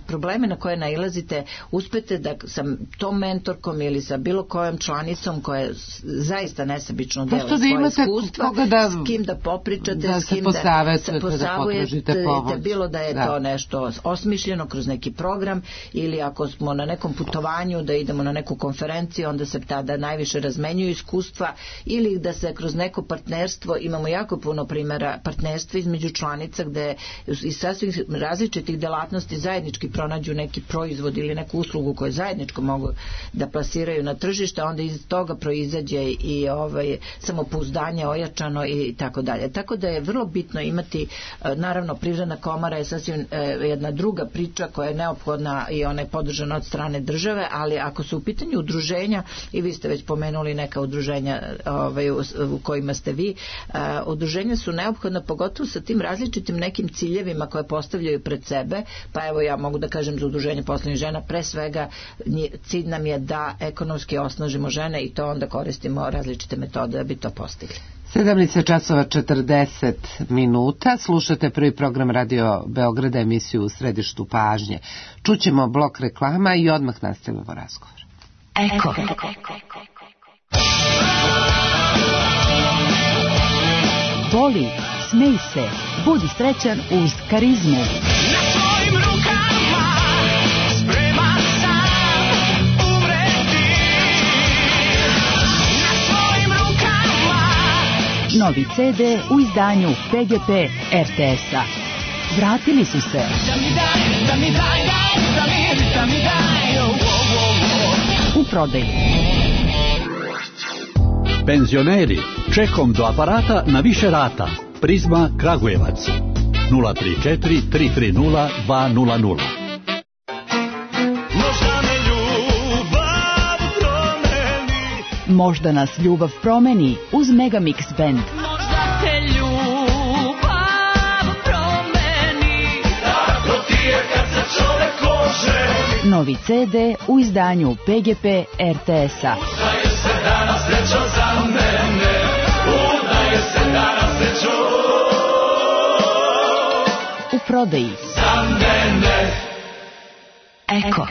probleme na koje nailazite uspete da sa tom mentorkom ili sa bilo kojom članicom koja zaista nesebično dela da svoje iskustva, da, s kim da popričate, da s kim da se posavujete, da bilo da je da. to nešto osmišljeno kroz neki program ili ako smo na nekom putovanju da idemo na neku konferenciju, onda se tada najviše razmenjuju iskustva ili da se kroz neko partnerstvo, imamo jako puno primjera partnerstva između članica gde iz sasvim različitih delatnosti zajednički pronađu neki proizvod ili neku uslugu koju zajedničko mogu da plasiraju na tržište, onda iz toga proizađe i ovaj, samopouzdanje ojačano i tako dalje. Tako da je vrlo bitno imati, naravno Privredna komora je sasvim jedna druga priča koja je neophodna i ona je podržana od strane države, ali ako su u pitanju udruženja, i vi ste već pomenuli neka udruženja ovaj, u, u kojima ste vi, a, udruženja su neophodna pogotovo sa tim različitim nekim ciljevima koje postavljaju pred sebe, pa evo ja mogu da kažem za udruženje poslovnih žena, pre svega cilj nam je da ekonomski osnažimo žene i to onda koristimo različite metode da bi to postigli. sedamnaest časova četrdeset minuta, slušate prvi program Radio Beograda, emisiju U središtu pažnje. Čućemo blok reklama i odmah nastavimo razgovor. Eko. Voli, smej se, budi srećan uz Karizmu. Na svojim rukama spreman sam umreti. Na svojim rukama. Novi ce de u izdanju pe ge pe er te es-a. Vratili su se. Da mi daj, da mi daj, daj, da mi, da mi daj, oh, oh, oh. U prodaji. Penzioneri, čekom do aparata na više rata. Prizma Kragujevac. nula tri četiri tri tri nula dva nula nula. Možda me ljubav promeni. Možda nas ljubav promeni uz Megamix Band. Možda te ljubav promeni. Tako ti je kad se čovek oženi. Novi ce de u izdanju pe ge pe er te es-a. Udaje se danas srećo za mene. Udaje se danas srećo u prodaji. za mene. Eko.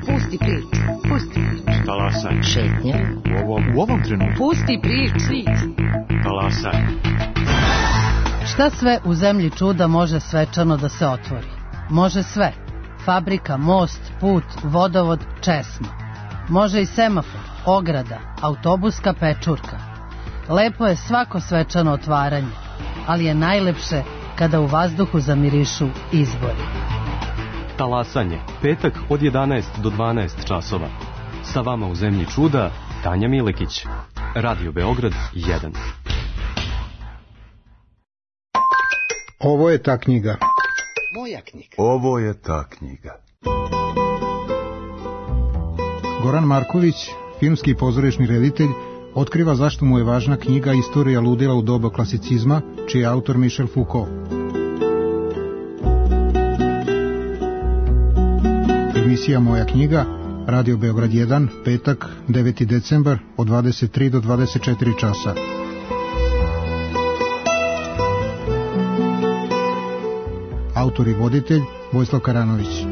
Pusti priču, pusti priču. Talasaj. Šetnja. U ovom, u ovom trenutku. Pusti priču. Talasaj. Šta sve u zemlji čuda može svečano da se otvori? Može sve. Fabrika, most, put, vodovod, česma. Može i semafor, ograda, autobuska pečurka. Lepo je svako svečano otvaranje, ali je najlepše kada u vazduhu zamirišu izbori. Talasanje. Petak od jedanaest do dvanaest časova. Sa vama u zemlji čuda Tanja Milekić. Radio Beograd jedan. Ovo je ta knjiga. Moja knjiga. Ovo je ta knjiga. Goran Marković, filmski i pozorišni reditelj, otkriva zašto mu je važna knjiga Istorija ludila u doba klasicizma, čiji je autor Michel Foucault. Emisija Moja knjiga, Radio Beograd jedan, petak, deveti decembar, od dvadeset tri do dvadeset četiri časa. Autor i voditelj Vojislav Karanović.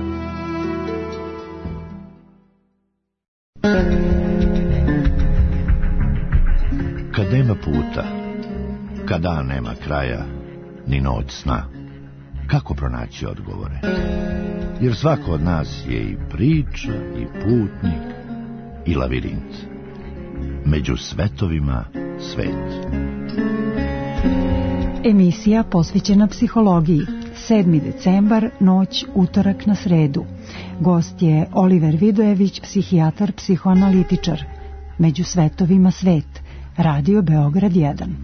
Kad nema puta, kad dan nema kraja, ni noć sna, kako pronaći odgovore? Jer svako od nas je i priča, i putnik, i lavirint. Među svetovima svet. Emisija posvećena psihologiji. sedmi decembar, noć, utorak na sredu. Gost je Oliver Vidojević, psihijatar, psihoanalitičar. Među svetovima svet. Radio Beograd jedan.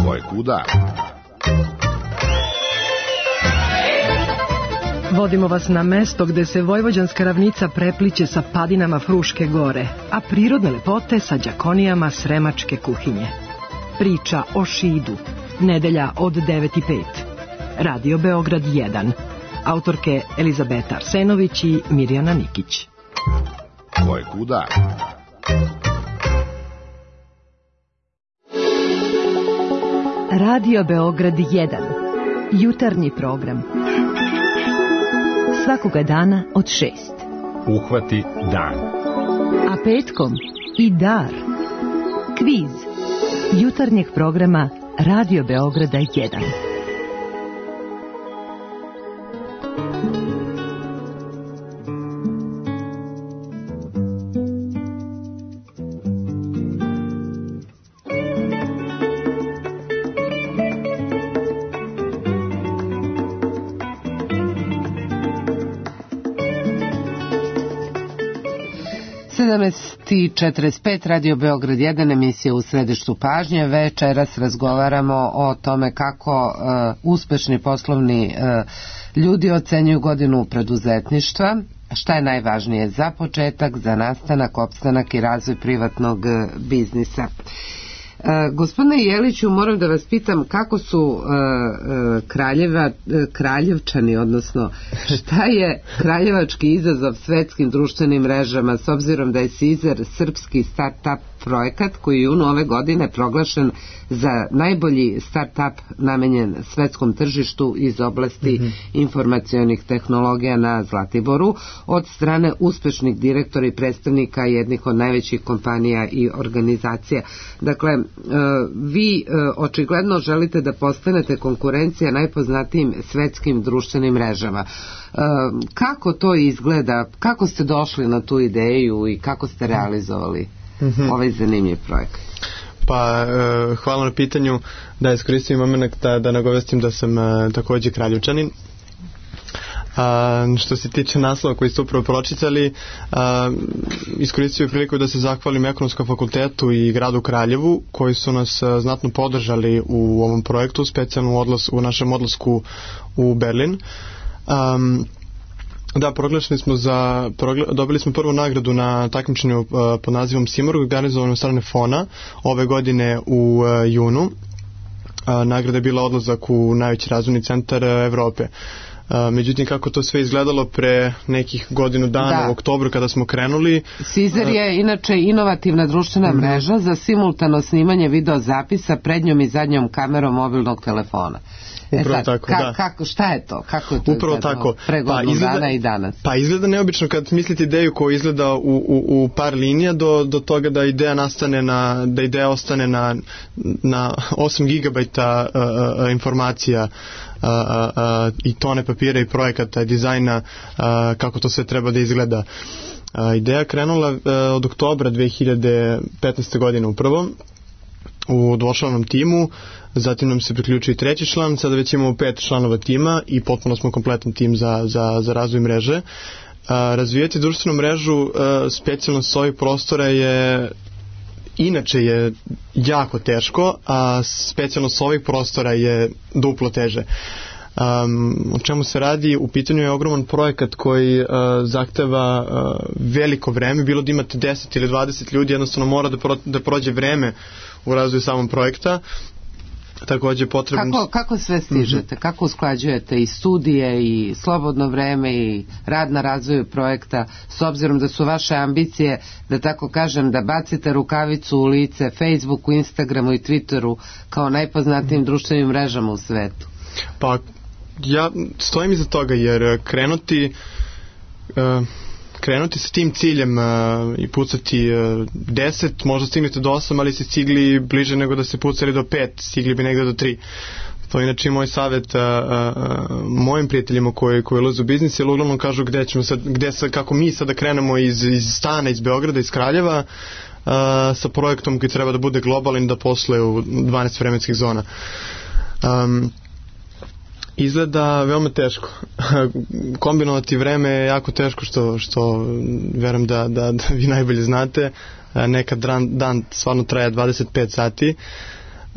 Ko je kuda? Vodimo vas na mesto gde se vojvođanska ravnica prepliće sa padinama Fruške gore, a prirodne lepote sa đakonijama sremačke kuhinje. Priča o Šidu. Nedelja od devet i pet. Radio Beograd jedan. autorke Elizabeta Arsenović i Mirjana Nikić. Ko je kuda? Radio Beograd jedan. Jutarnji program. Svakoga dana od šest. Uhvati dan. A petkom i dar. Kviz. Jutarnjeg programa Radio Beograda jedan. sedamnaest i četrdeset pet, Radio Beograd jedan, emisija u središtu pažnje. Večeras razgovaramo o tome kako uh, uspešni poslovni uh, ljudi ocenjuju godinu preduzetništva, šta je najvažnije za početak, za nastanak, opstanak i razvoj privatnog uh, biznisa. Uh, gospodine Jeliću, moram da vas pitam kako su uh, uh, kraljeva, uh, kraljevčani, odnosno šta je kraljevački izazov svetskim društvenim mrežama, s obzirom da je Sizer srpski start-up projekat koji je junu ove godine proglašen za najbolji start-up namenjen svetskom tržištu iz oblasti mm-hmm. informacionih tehnologija na Zlatiboru od strane uspešnih direktora i predstavnika jednih od najvećih kompanija i organizacija. Dakle, vi očigledno želite da postanete konkurencija najpoznatijim svetskim društvenim mrežama. Kako to izgleda? Kako ste došli na tu ideju i kako ste realizovali mm-hmm. ovaj zanimljiv projekat? Pa, e, hvala na pitanju. Da iskoristim moment da, da nagovestim da sam e, takođe kraljevčanin. A, što se tiče naslova koji ste upravo pročitali, a, iskoristio priliku da se zahvalim Ekonomskom fakultetu i gradu Kraljevu koji su nas a, znatno podržali u ovom projektu, specijalno u, odlas, u našem odlasku u Berlin. Um, Da, proglašeni smo za, progla, dobili smo prvu nagradu na takmičenju uh, pod nazivom Simorg, organizovano od strane Fona ove godine u uh, junu. Uh, nagrada je bila odlazak u najveći razvojni centar uh, Evrope. Uh, međutim, kako to sve izgledalo pre nekih godinu dana da. u oktobru kada smo krenuli. Sizer je inače inovativna društvena uh, mreža za simultano snimanje video zapisa prednjom i zadnjom kamerom mobilnog telefona. Upravo e sad, tako, ka, da. Kako, šta je to? Kako je to Upravo izgledalo tako. pre godinu pa, izgleda, dana i danas? Pa izgleda neobično kad mislite ideju koja izgleda u, u, u par linija do, do toga da ideja nastane na, da ideja ostane na, na osam gigabajta uh, uh, informacija uh, uh, uh, i tone papira i projekata i dizajna, uh, kako to sve treba da izgleda. Uh, ideja krenula uh, od oktobra dve hiljade petnaeste. godine upravo u dvočlanom timu, zatim nam se priključio i treći član, sada već imamo pet članova tima i potpuno smo kompletan tim za, za, za razvoj mreže. A, razvijati društvenu mrežu a, specijalno s ovih prostora je inače je jako teško, a specijalno s ovih prostora je duplo teže. Um, o čemu se radi? U pitanju je ogroman projekat koji uh, zahteva uh, veliko vreme, bilo da imate deset ili dvadeset ljudi, jednostavno mora da, pro, da prođe vreme u razvoju samog projekta. Takođe potrebno... Kako, kako sve stižete? Mm-hmm. Kako usklađujete i studije i slobodno vreme i rad na razvoju projekta, s obzirom da su vaše ambicije, da tako kažem, da bacite rukavicu u lice Facebooku, Instagramu i Twitteru kao najpoznatijim mm-hmm. društvenim mrežama u svetu? Pa ja stojim iza toga jer krenuti uh, krenuti sa tim ciljem uh, i pucati uh, deset, možda stignete do osam, ali ste stigli bliže nego da ste pucali do pet, stigli bi negde do tri. To je inače moj savjet uh, uh, mojim prijateljima koji, koji ulaze u biznis, jer uglavnom kažu gde ćemo sad, gde sad, kako mi sada krenemo iz, iz stana, iz Beograda, iz Kraljeva, uh, sa projektom koji treba da bude globalan, da posluje u dvanaest vremenskih zona. Um, Izgleda veoma teško. Kombinovati vreme je jako teško, što, što verujem da, da, da vi najbolje znate. Nekad dan, dan stvarno traje dvadeset pet sati.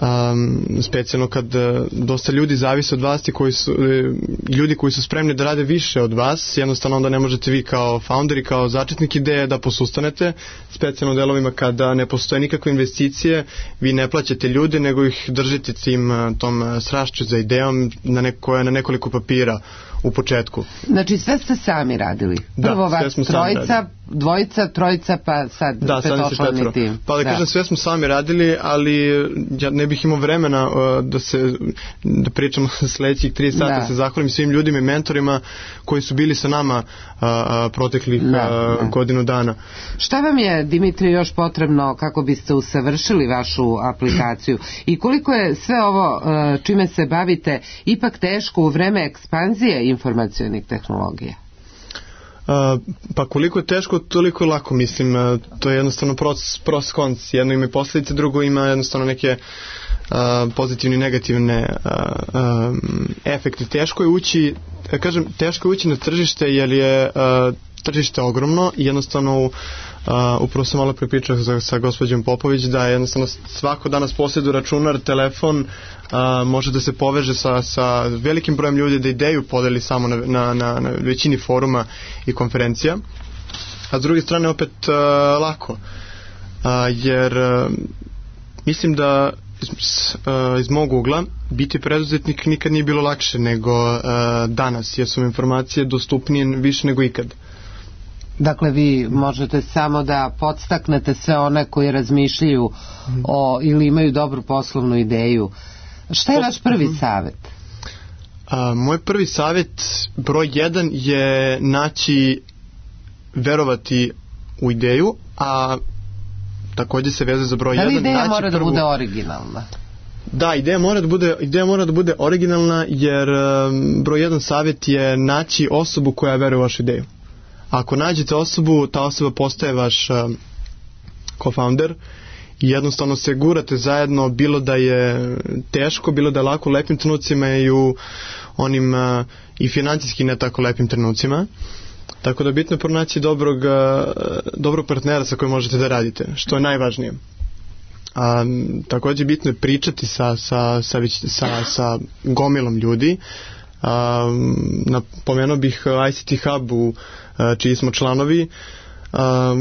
Um, specijalno kad dosta ljudi zavise od vas i koji su, ljudi koji su spremni da rade više od vas, jednostavno onda ne možete vi kao founderi, kao začetnik ideje da posustanete, specijalno u delovima kada ne postoje nikakve investicije, vi ne plaćate ljude, nego ih držite tim tom strašću za idejom na neko, koja je na nekoliko papira u početku. Znači sve ste sami radili? Da, Prvo sve vas smo sami trojica, radili. Dvojica, trojica, pa sad da, petočlani tim. Pa da, da kažem, sve smo sami radili, ali ja ne bih imao vremena uh, da se da pričamo sledećih tri sata, da. da se zahvalim svim ljudima i mentorima koji su bili sa nama uh, uh, proteklih da, uh, da. godinu dana. Šta vam je, Dimitrije, još potrebno kako biste usavršili vašu aplikaciju i koliko je sve ovo uh, čime se bavite ipak teško u vreme ekspanzije informacionih tehnologija? Uh, pa koliko je teško, toliko je lako, mislim, uh, to je jednostavno proces, proces konc, jedno ima posljedice, drugo ima jednostavno neke uh, pozitivne i negativne uh, um, efekte. Teško je ući, kažem, teško je ući na tržište jer je uh, tržište ogromno i jednostavno uh, upravo sam malo prepričao sa, sa gospođom Popović da je jednostavno svako danas posjeduje računar, telefon, uh, može da se poveže sa, sa velikim brojem ljudi, da ideju podeli samo na, na, na, na većini foruma i konferencija, a s druge strane opet uh, lako uh, jer uh, mislim da iz, uh, iz mog ugla biti preduzetnik nikad nije bilo lakše nego uh, danas, jer su informacije dostupnije više nego ikad. Dakle, vi možete samo da podstaknete sve one koji razmišljaju o, ili imaju dobru poslovnu ideju. Šta je vaš prvi savjet? A, moj prvi savjet, broj jedan, je naći, verovati u ideju, a također se veze za broj jedan. Da li ideja naći mora prvu... da bude originalna? Da, ideja mora da bude, ideja mora da bude originalna, jer um, broj jedan savjet je naći osobu koja veruje u vašu ideju. Ako nađete osobu, ta osoba postaje vaš um, co-founder i jednostavno se gurate zajedno, bilo da je teško, bilo da je lako u lepim trenucima i u onim uh, i financijski ne tako lepim trenucima. Tako da bitno je pronaći dobrog, uh, dobrog partnera sa kojim možete da radite, što je najvažnije. A, također bitno je pričati sa, sa, sa, sa, sa gomilom ljudi. A, napomenuo bih I C T Hub u čiji smo članovi a,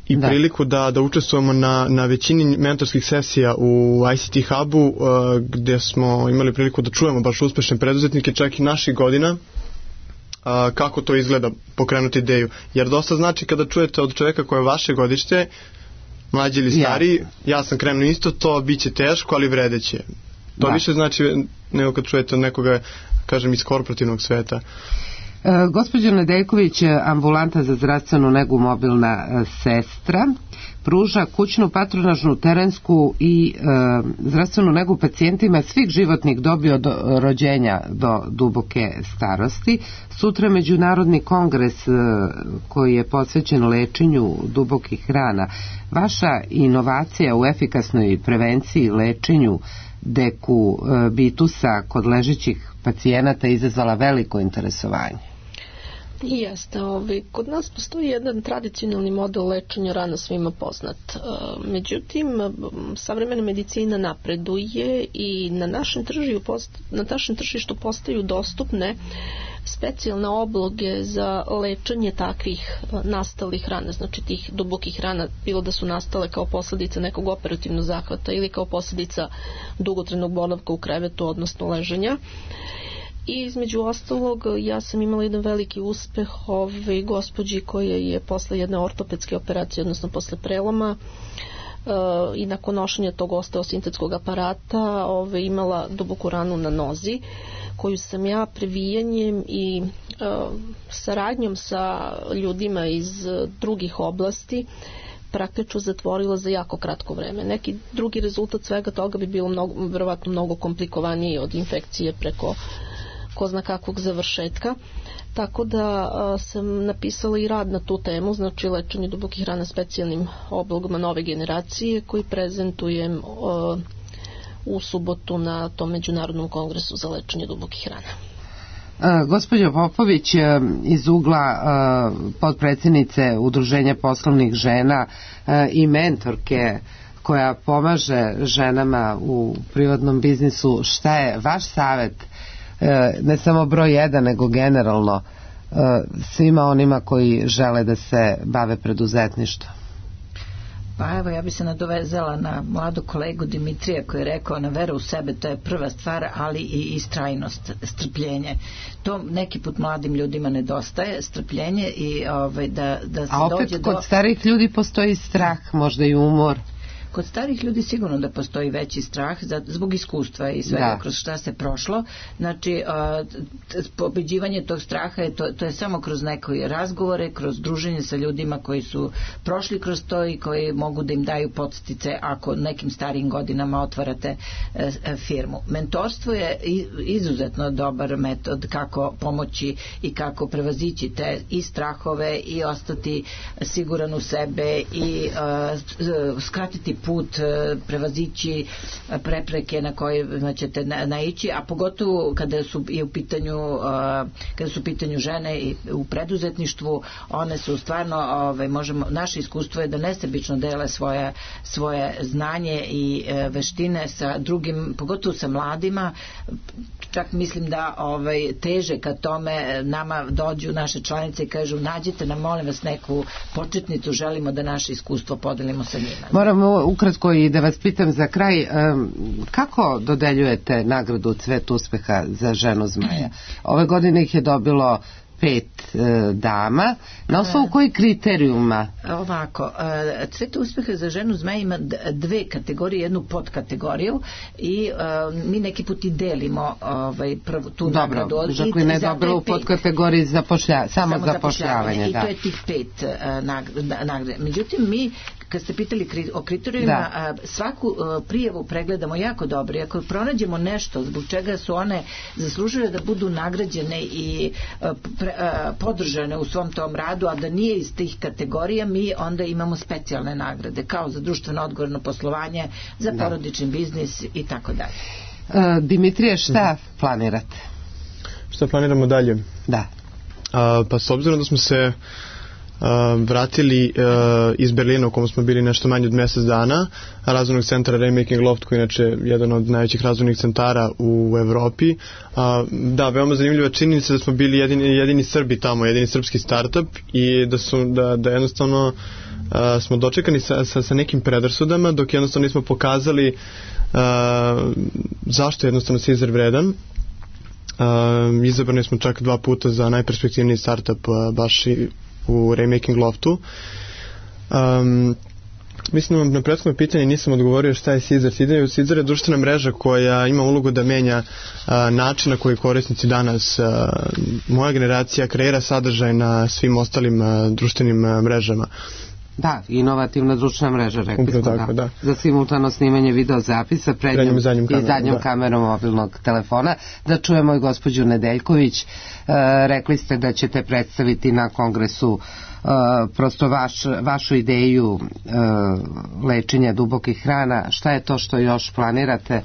i da. priliku da, da učestvujemo na, na većini mentorskih sesija u I C T Hubu a, gdje smo imali priliku da čujemo baš uspešne preduzetnike čak i naših godina a, kako to izgleda pokrenuti ideju, jer dosta znači kada čujete od čovjeka koje je vaše godište, mlađi ili stari, ja, ja sam krenuo isto to, bit će teško, ali vredeće. To da. više znači nego kad čujete od nekoga, kažem, iz korporativnog sveta. E, gospođo Nedeljković, ambulanta za zdravstvenu negu Mobilna e, sestra pruža kućnu, patronažnu, terensku i e, zdravstvenu negu pacijentima svih životnih dobi od rođenja do duboke starosti. Sutra Međunarodni kongres e, koji je posvećen lečenju dubokih rana. Vaša inovacija u efikasnoj prevenciji i lečenju dekubitusa kod ležećih pacijenata izazvala veliko interesovanje. Jeste, ovaj, kod nas postoji jedan tradicionalni model lečenja rana svima poznat. Međutim, savremena medicina napreduje i na našem tržištu, na našem tržištu postaju dostupne specijalne obloge za lečenje takvih nastalih rana, znači tih dubokih rana, bilo da su nastale kao posljedica nekog operativnog zahvata ili kao posljedica dugotrajnog boravka u krevetu, odnosno leženja. I između ostalog, ja sam imala jedan veliki uspeh ove gospođi koja je posle jedne ortopedske operacije, odnosno posle preloma e, i nakon nošenja tog osteosintetskog aparata ove, imala duboku ranu na nozi, koju sam ja previjanjem i e, saradnjom sa ljudima iz drugih oblasti praktično zatvorila za jako kratko vreme. Neki drugi rezultat svega toga bi bilo mnogo, verovatno mnogo komplikovaniji od infekcije preko ko zna kakvog završetka. Tako da a, sam napisala i rad na tu temu, znači lečenje dubokih rana specijalnim oblogama nove generacije koji prezentujem a, u subotu na tom Međunarodnom kongresu za lečenje dubokih rana. Gospođo Popović, iz ugla potpredsjednice Udruženja poslovnih žena i mentorke koja pomaže ženama u privatnom biznisu, šta je vaš savjet, ne samo broj jedan, nego generalno svima onima koji žele da se bave preduzetništvom? Pa evo, ja bi se nadovezala na mladu kolegu Dimitrija koji je rekao na veru u sebe, to je prva stvar, ali i istrajnost, strpljenje. To neki put mladim ljudima nedostaje, strpljenje i ovaj, da, da se A opet dođe kod do... starih ljudi postoji strah, možda i umor. Kod starih ljudi sigurno da postoji veći strah za, zbog iskustva i svega da. Kroz šta se prošlo. Znači, a, pobeđivanje tog straha je, to, to je samo kroz neke razgovore, kroz druženje sa ljudima koji su prošli kroz to i koji mogu da im daju podstice ako nekim starijim godinama otvarate e, e, firmu. Mentorstvo je izuzetno dobar metod kako pomoći i kako prevazići te i strahove i ostati siguran u sebe i a, skratiti put, prevazići prepreke na koje ćete naići, a pogotovo kada su i u pitanju kada su u pitanju žene i u preduzetništvu, one su stvarno, ovaj, možemo, naše iskustvo je da nesebično dele svoje, svoje znanje i veštine sa drugim, pogotovo sa mladima. Čak mislim da ovaj, teže kad tome nama dođu naše članice i kažu nađite nam, molim vas, neku početnicu, želimo da naše iskustvo podelimo sa njima. Moramo ukratko i da vas pitam za kraj, kako dodeljujete nagradu Cvet uspeha za ženu zmaja? Ove godine ih je dobilo pet e, dama. Na osnovu kojih kriterijuma? Ovako, e, Cvet uspeha za ženu zmaja ima dve kategorije, jednu podkategoriju i e, mi neki put i delimo ovaj, prvu, tu Dobro, nagradu. Dobro, Žako ne dobilo u podkategoriji zapošlja, samo, samo zapošljavanje. I da. to je tih pet e, nagrade. Međutim, mi kad ste pitali o kriterijima, svaku prijavu pregledamo jako dobro i ako pronađemo nešto zbog čega su one zaslužile da budu nagrađene i pre, podržane u svom tom radu, a da nije iz tih kategorija, mi onda imamo specijalne nagrade, kao za društveno odgovorno poslovanje, za da. porodični biznis i tako dalje. Dimitrije, šta planirate? Šta planiramo dalje? Da. A, pa s obzirom da smo se Uh, vratili uh, iz Berlina u kom smo bili nešto manje od mjesec dana, razvojnog centra Remaking Loft, koji je inače jedan od najvećih razvojnih centara u Evropi. Uh, da, veoma zanimljiva činjenica da smo bili jedini, jedini Srbi tamo, jedini srpski startup i da, su, da, da jednostavno uh, smo dočekani sa, sa, sa nekim predrasudama, dok jednostavno nismo pokazali uh, zašto jednostavno se izar vredan. Uh, izabrani smo čak dva puta za najperspektivniji startup uh, baš i u Remaking Loftu. Um, mislim vam na prethodno pitanje nisam odgovorio šta je Sizar. Sizar je društvena mreža koja ima ulogu da menja uh, način na koji korisnici danas, uh, moja generacija, kreira sadržaj na svim ostalim uh, društvenim uh, mrežama. Da, inovativna društvena mreža, rekli smo, tako, da. da. Za simultano snimanje videozapisa prednjom, prednjom i zadnjom i kamerom, zadnjom da. kamerom mobilnog telefona. Da čujemo i gospođu Nedeljković. E, rekli ste da ćete predstaviti na kongresu e, prosto vaš, vašu ideju e, lečenja dubokih rana. Šta je to što još planirate?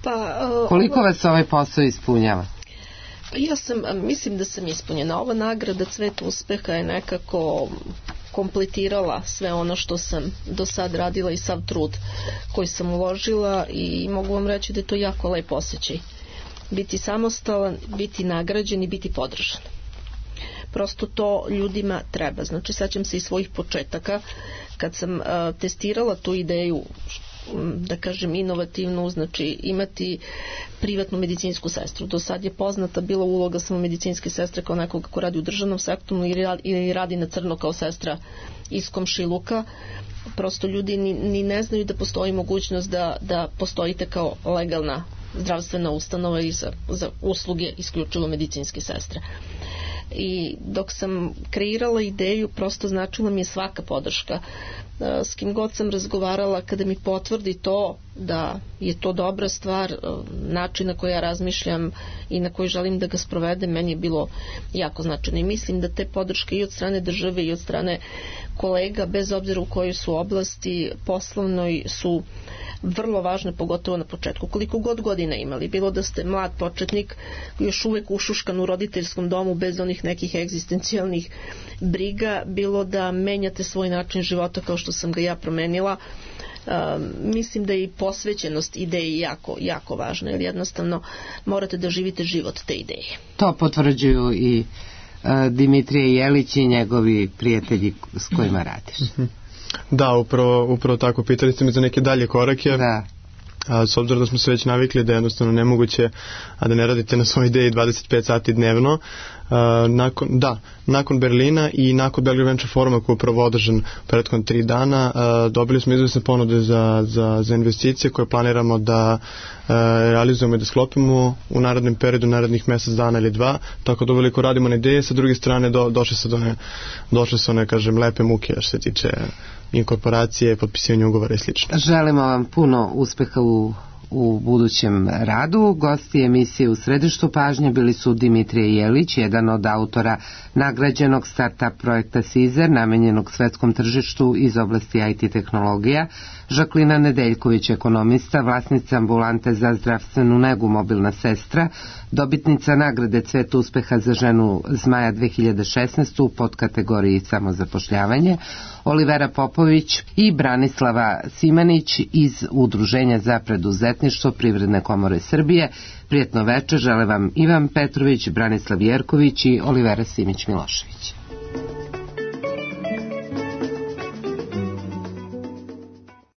Pa, uh, Koliko ovo... vas ovaj posao ispunjava? Ja sam, mislim da sam ispunjena. Ova nagrada Cvet uspeha je nekako kompletirala sve ono što sam do sad radila i sav trud koji sam uložila i mogu vam reći da je to jako lep osjećaj. Biti samostalan, biti nagrađen i biti podržan. Prosto to ljudima treba. Znači, sećam se i svojih početaka kad sam uh, testirala tu ideju, da kažem inovativnu, znači imati privatnu medicinsku sestru. Do sad je poznata bila uloga samo medicinske sestre kao nekoga ko radi u državnom sektoru ili radi na crno kao sestra iz komšiluka. Prosto ljudi ni, ni ne znaju da postoji mogućnost da, da postojite kao legalna zdravstvena ustanova i za, za usluge isključivo medicinske sestre. I dok sam kreirala ideju, prosto značila mi je svaka podrška. S kim god sam razgovarala, kada mi potvrdi to da je to dobra stvar, način na koji ja razmišljam i na koji želim da ga sprovedem, meni je bilo jako značajno. I mislim da te podrške i od strane države i od strane kolega, bez obzira u kojoj su oblasti poslovnoj, su vrlo važne, pogotovo na početku. Koliko god godina imali, bilo da ste mlad početnik, još uvek ušuškan u roditeljskom domu bez onih nekih egzistencijalnih briga, bilo da menjate svoj način života kao što sam ga ja promenila, um, mislim da je i posvećenost ideji jako, jako važna, jer jednostavno morate da živite život te ideje. To potvrđuju i uh, Dimitrije Jelić i njegovi prijatelji s kojima radiš. Da, upravo, upravo tako. Pitali ste mi za neke dalje korake. Da. A, s obzirom da smo se već navikli da je jednostavno nemoguće a da ne radite na svojoj ideji dvadeset pet sati dnevno, a, nakon, da, nakon Berlina i nakon Belgrade Venture Foruma koji je upravo održan prethodno tri dana, a, dobili smo izvesne ponude za, za, za investicije koje planiramo da a, realizujemo i da sklopimo u narednom periodu, narednih mesec dana ili dva, tako da uveliko radimo na ideje, sa druge strane do, došle se do ne, došle su one, kažem, lepe muke što se tiče inkorporacije, potpisivanje ugovora i slično. Želimo vam puno uspeha u, u budućem radu. Gosti emisije U središtu pažnje bili su Dimitrije Jelić, jedan od autora nagrađenog start-up projekta Sizer, namenjenog svetskom tržištu iz oblasti I T tehnologija, Žaklina Nedeljković, ekonomista, vlasnica ambulante za zdravstvenu negu Mobilna sestra, dobitnica nagrade Cvet uspeha za ženu Zmaja dve hiljade šesnaeste u podkategoriji samozapošljavanje, Olivera Popović i Branislava Simanić iz Udruženja za preduzetništvo Privredne komore Srbije. Prijetno večer žele vam Ivan Petrović, Branislav Jerković i Olivera Simić-Milošević.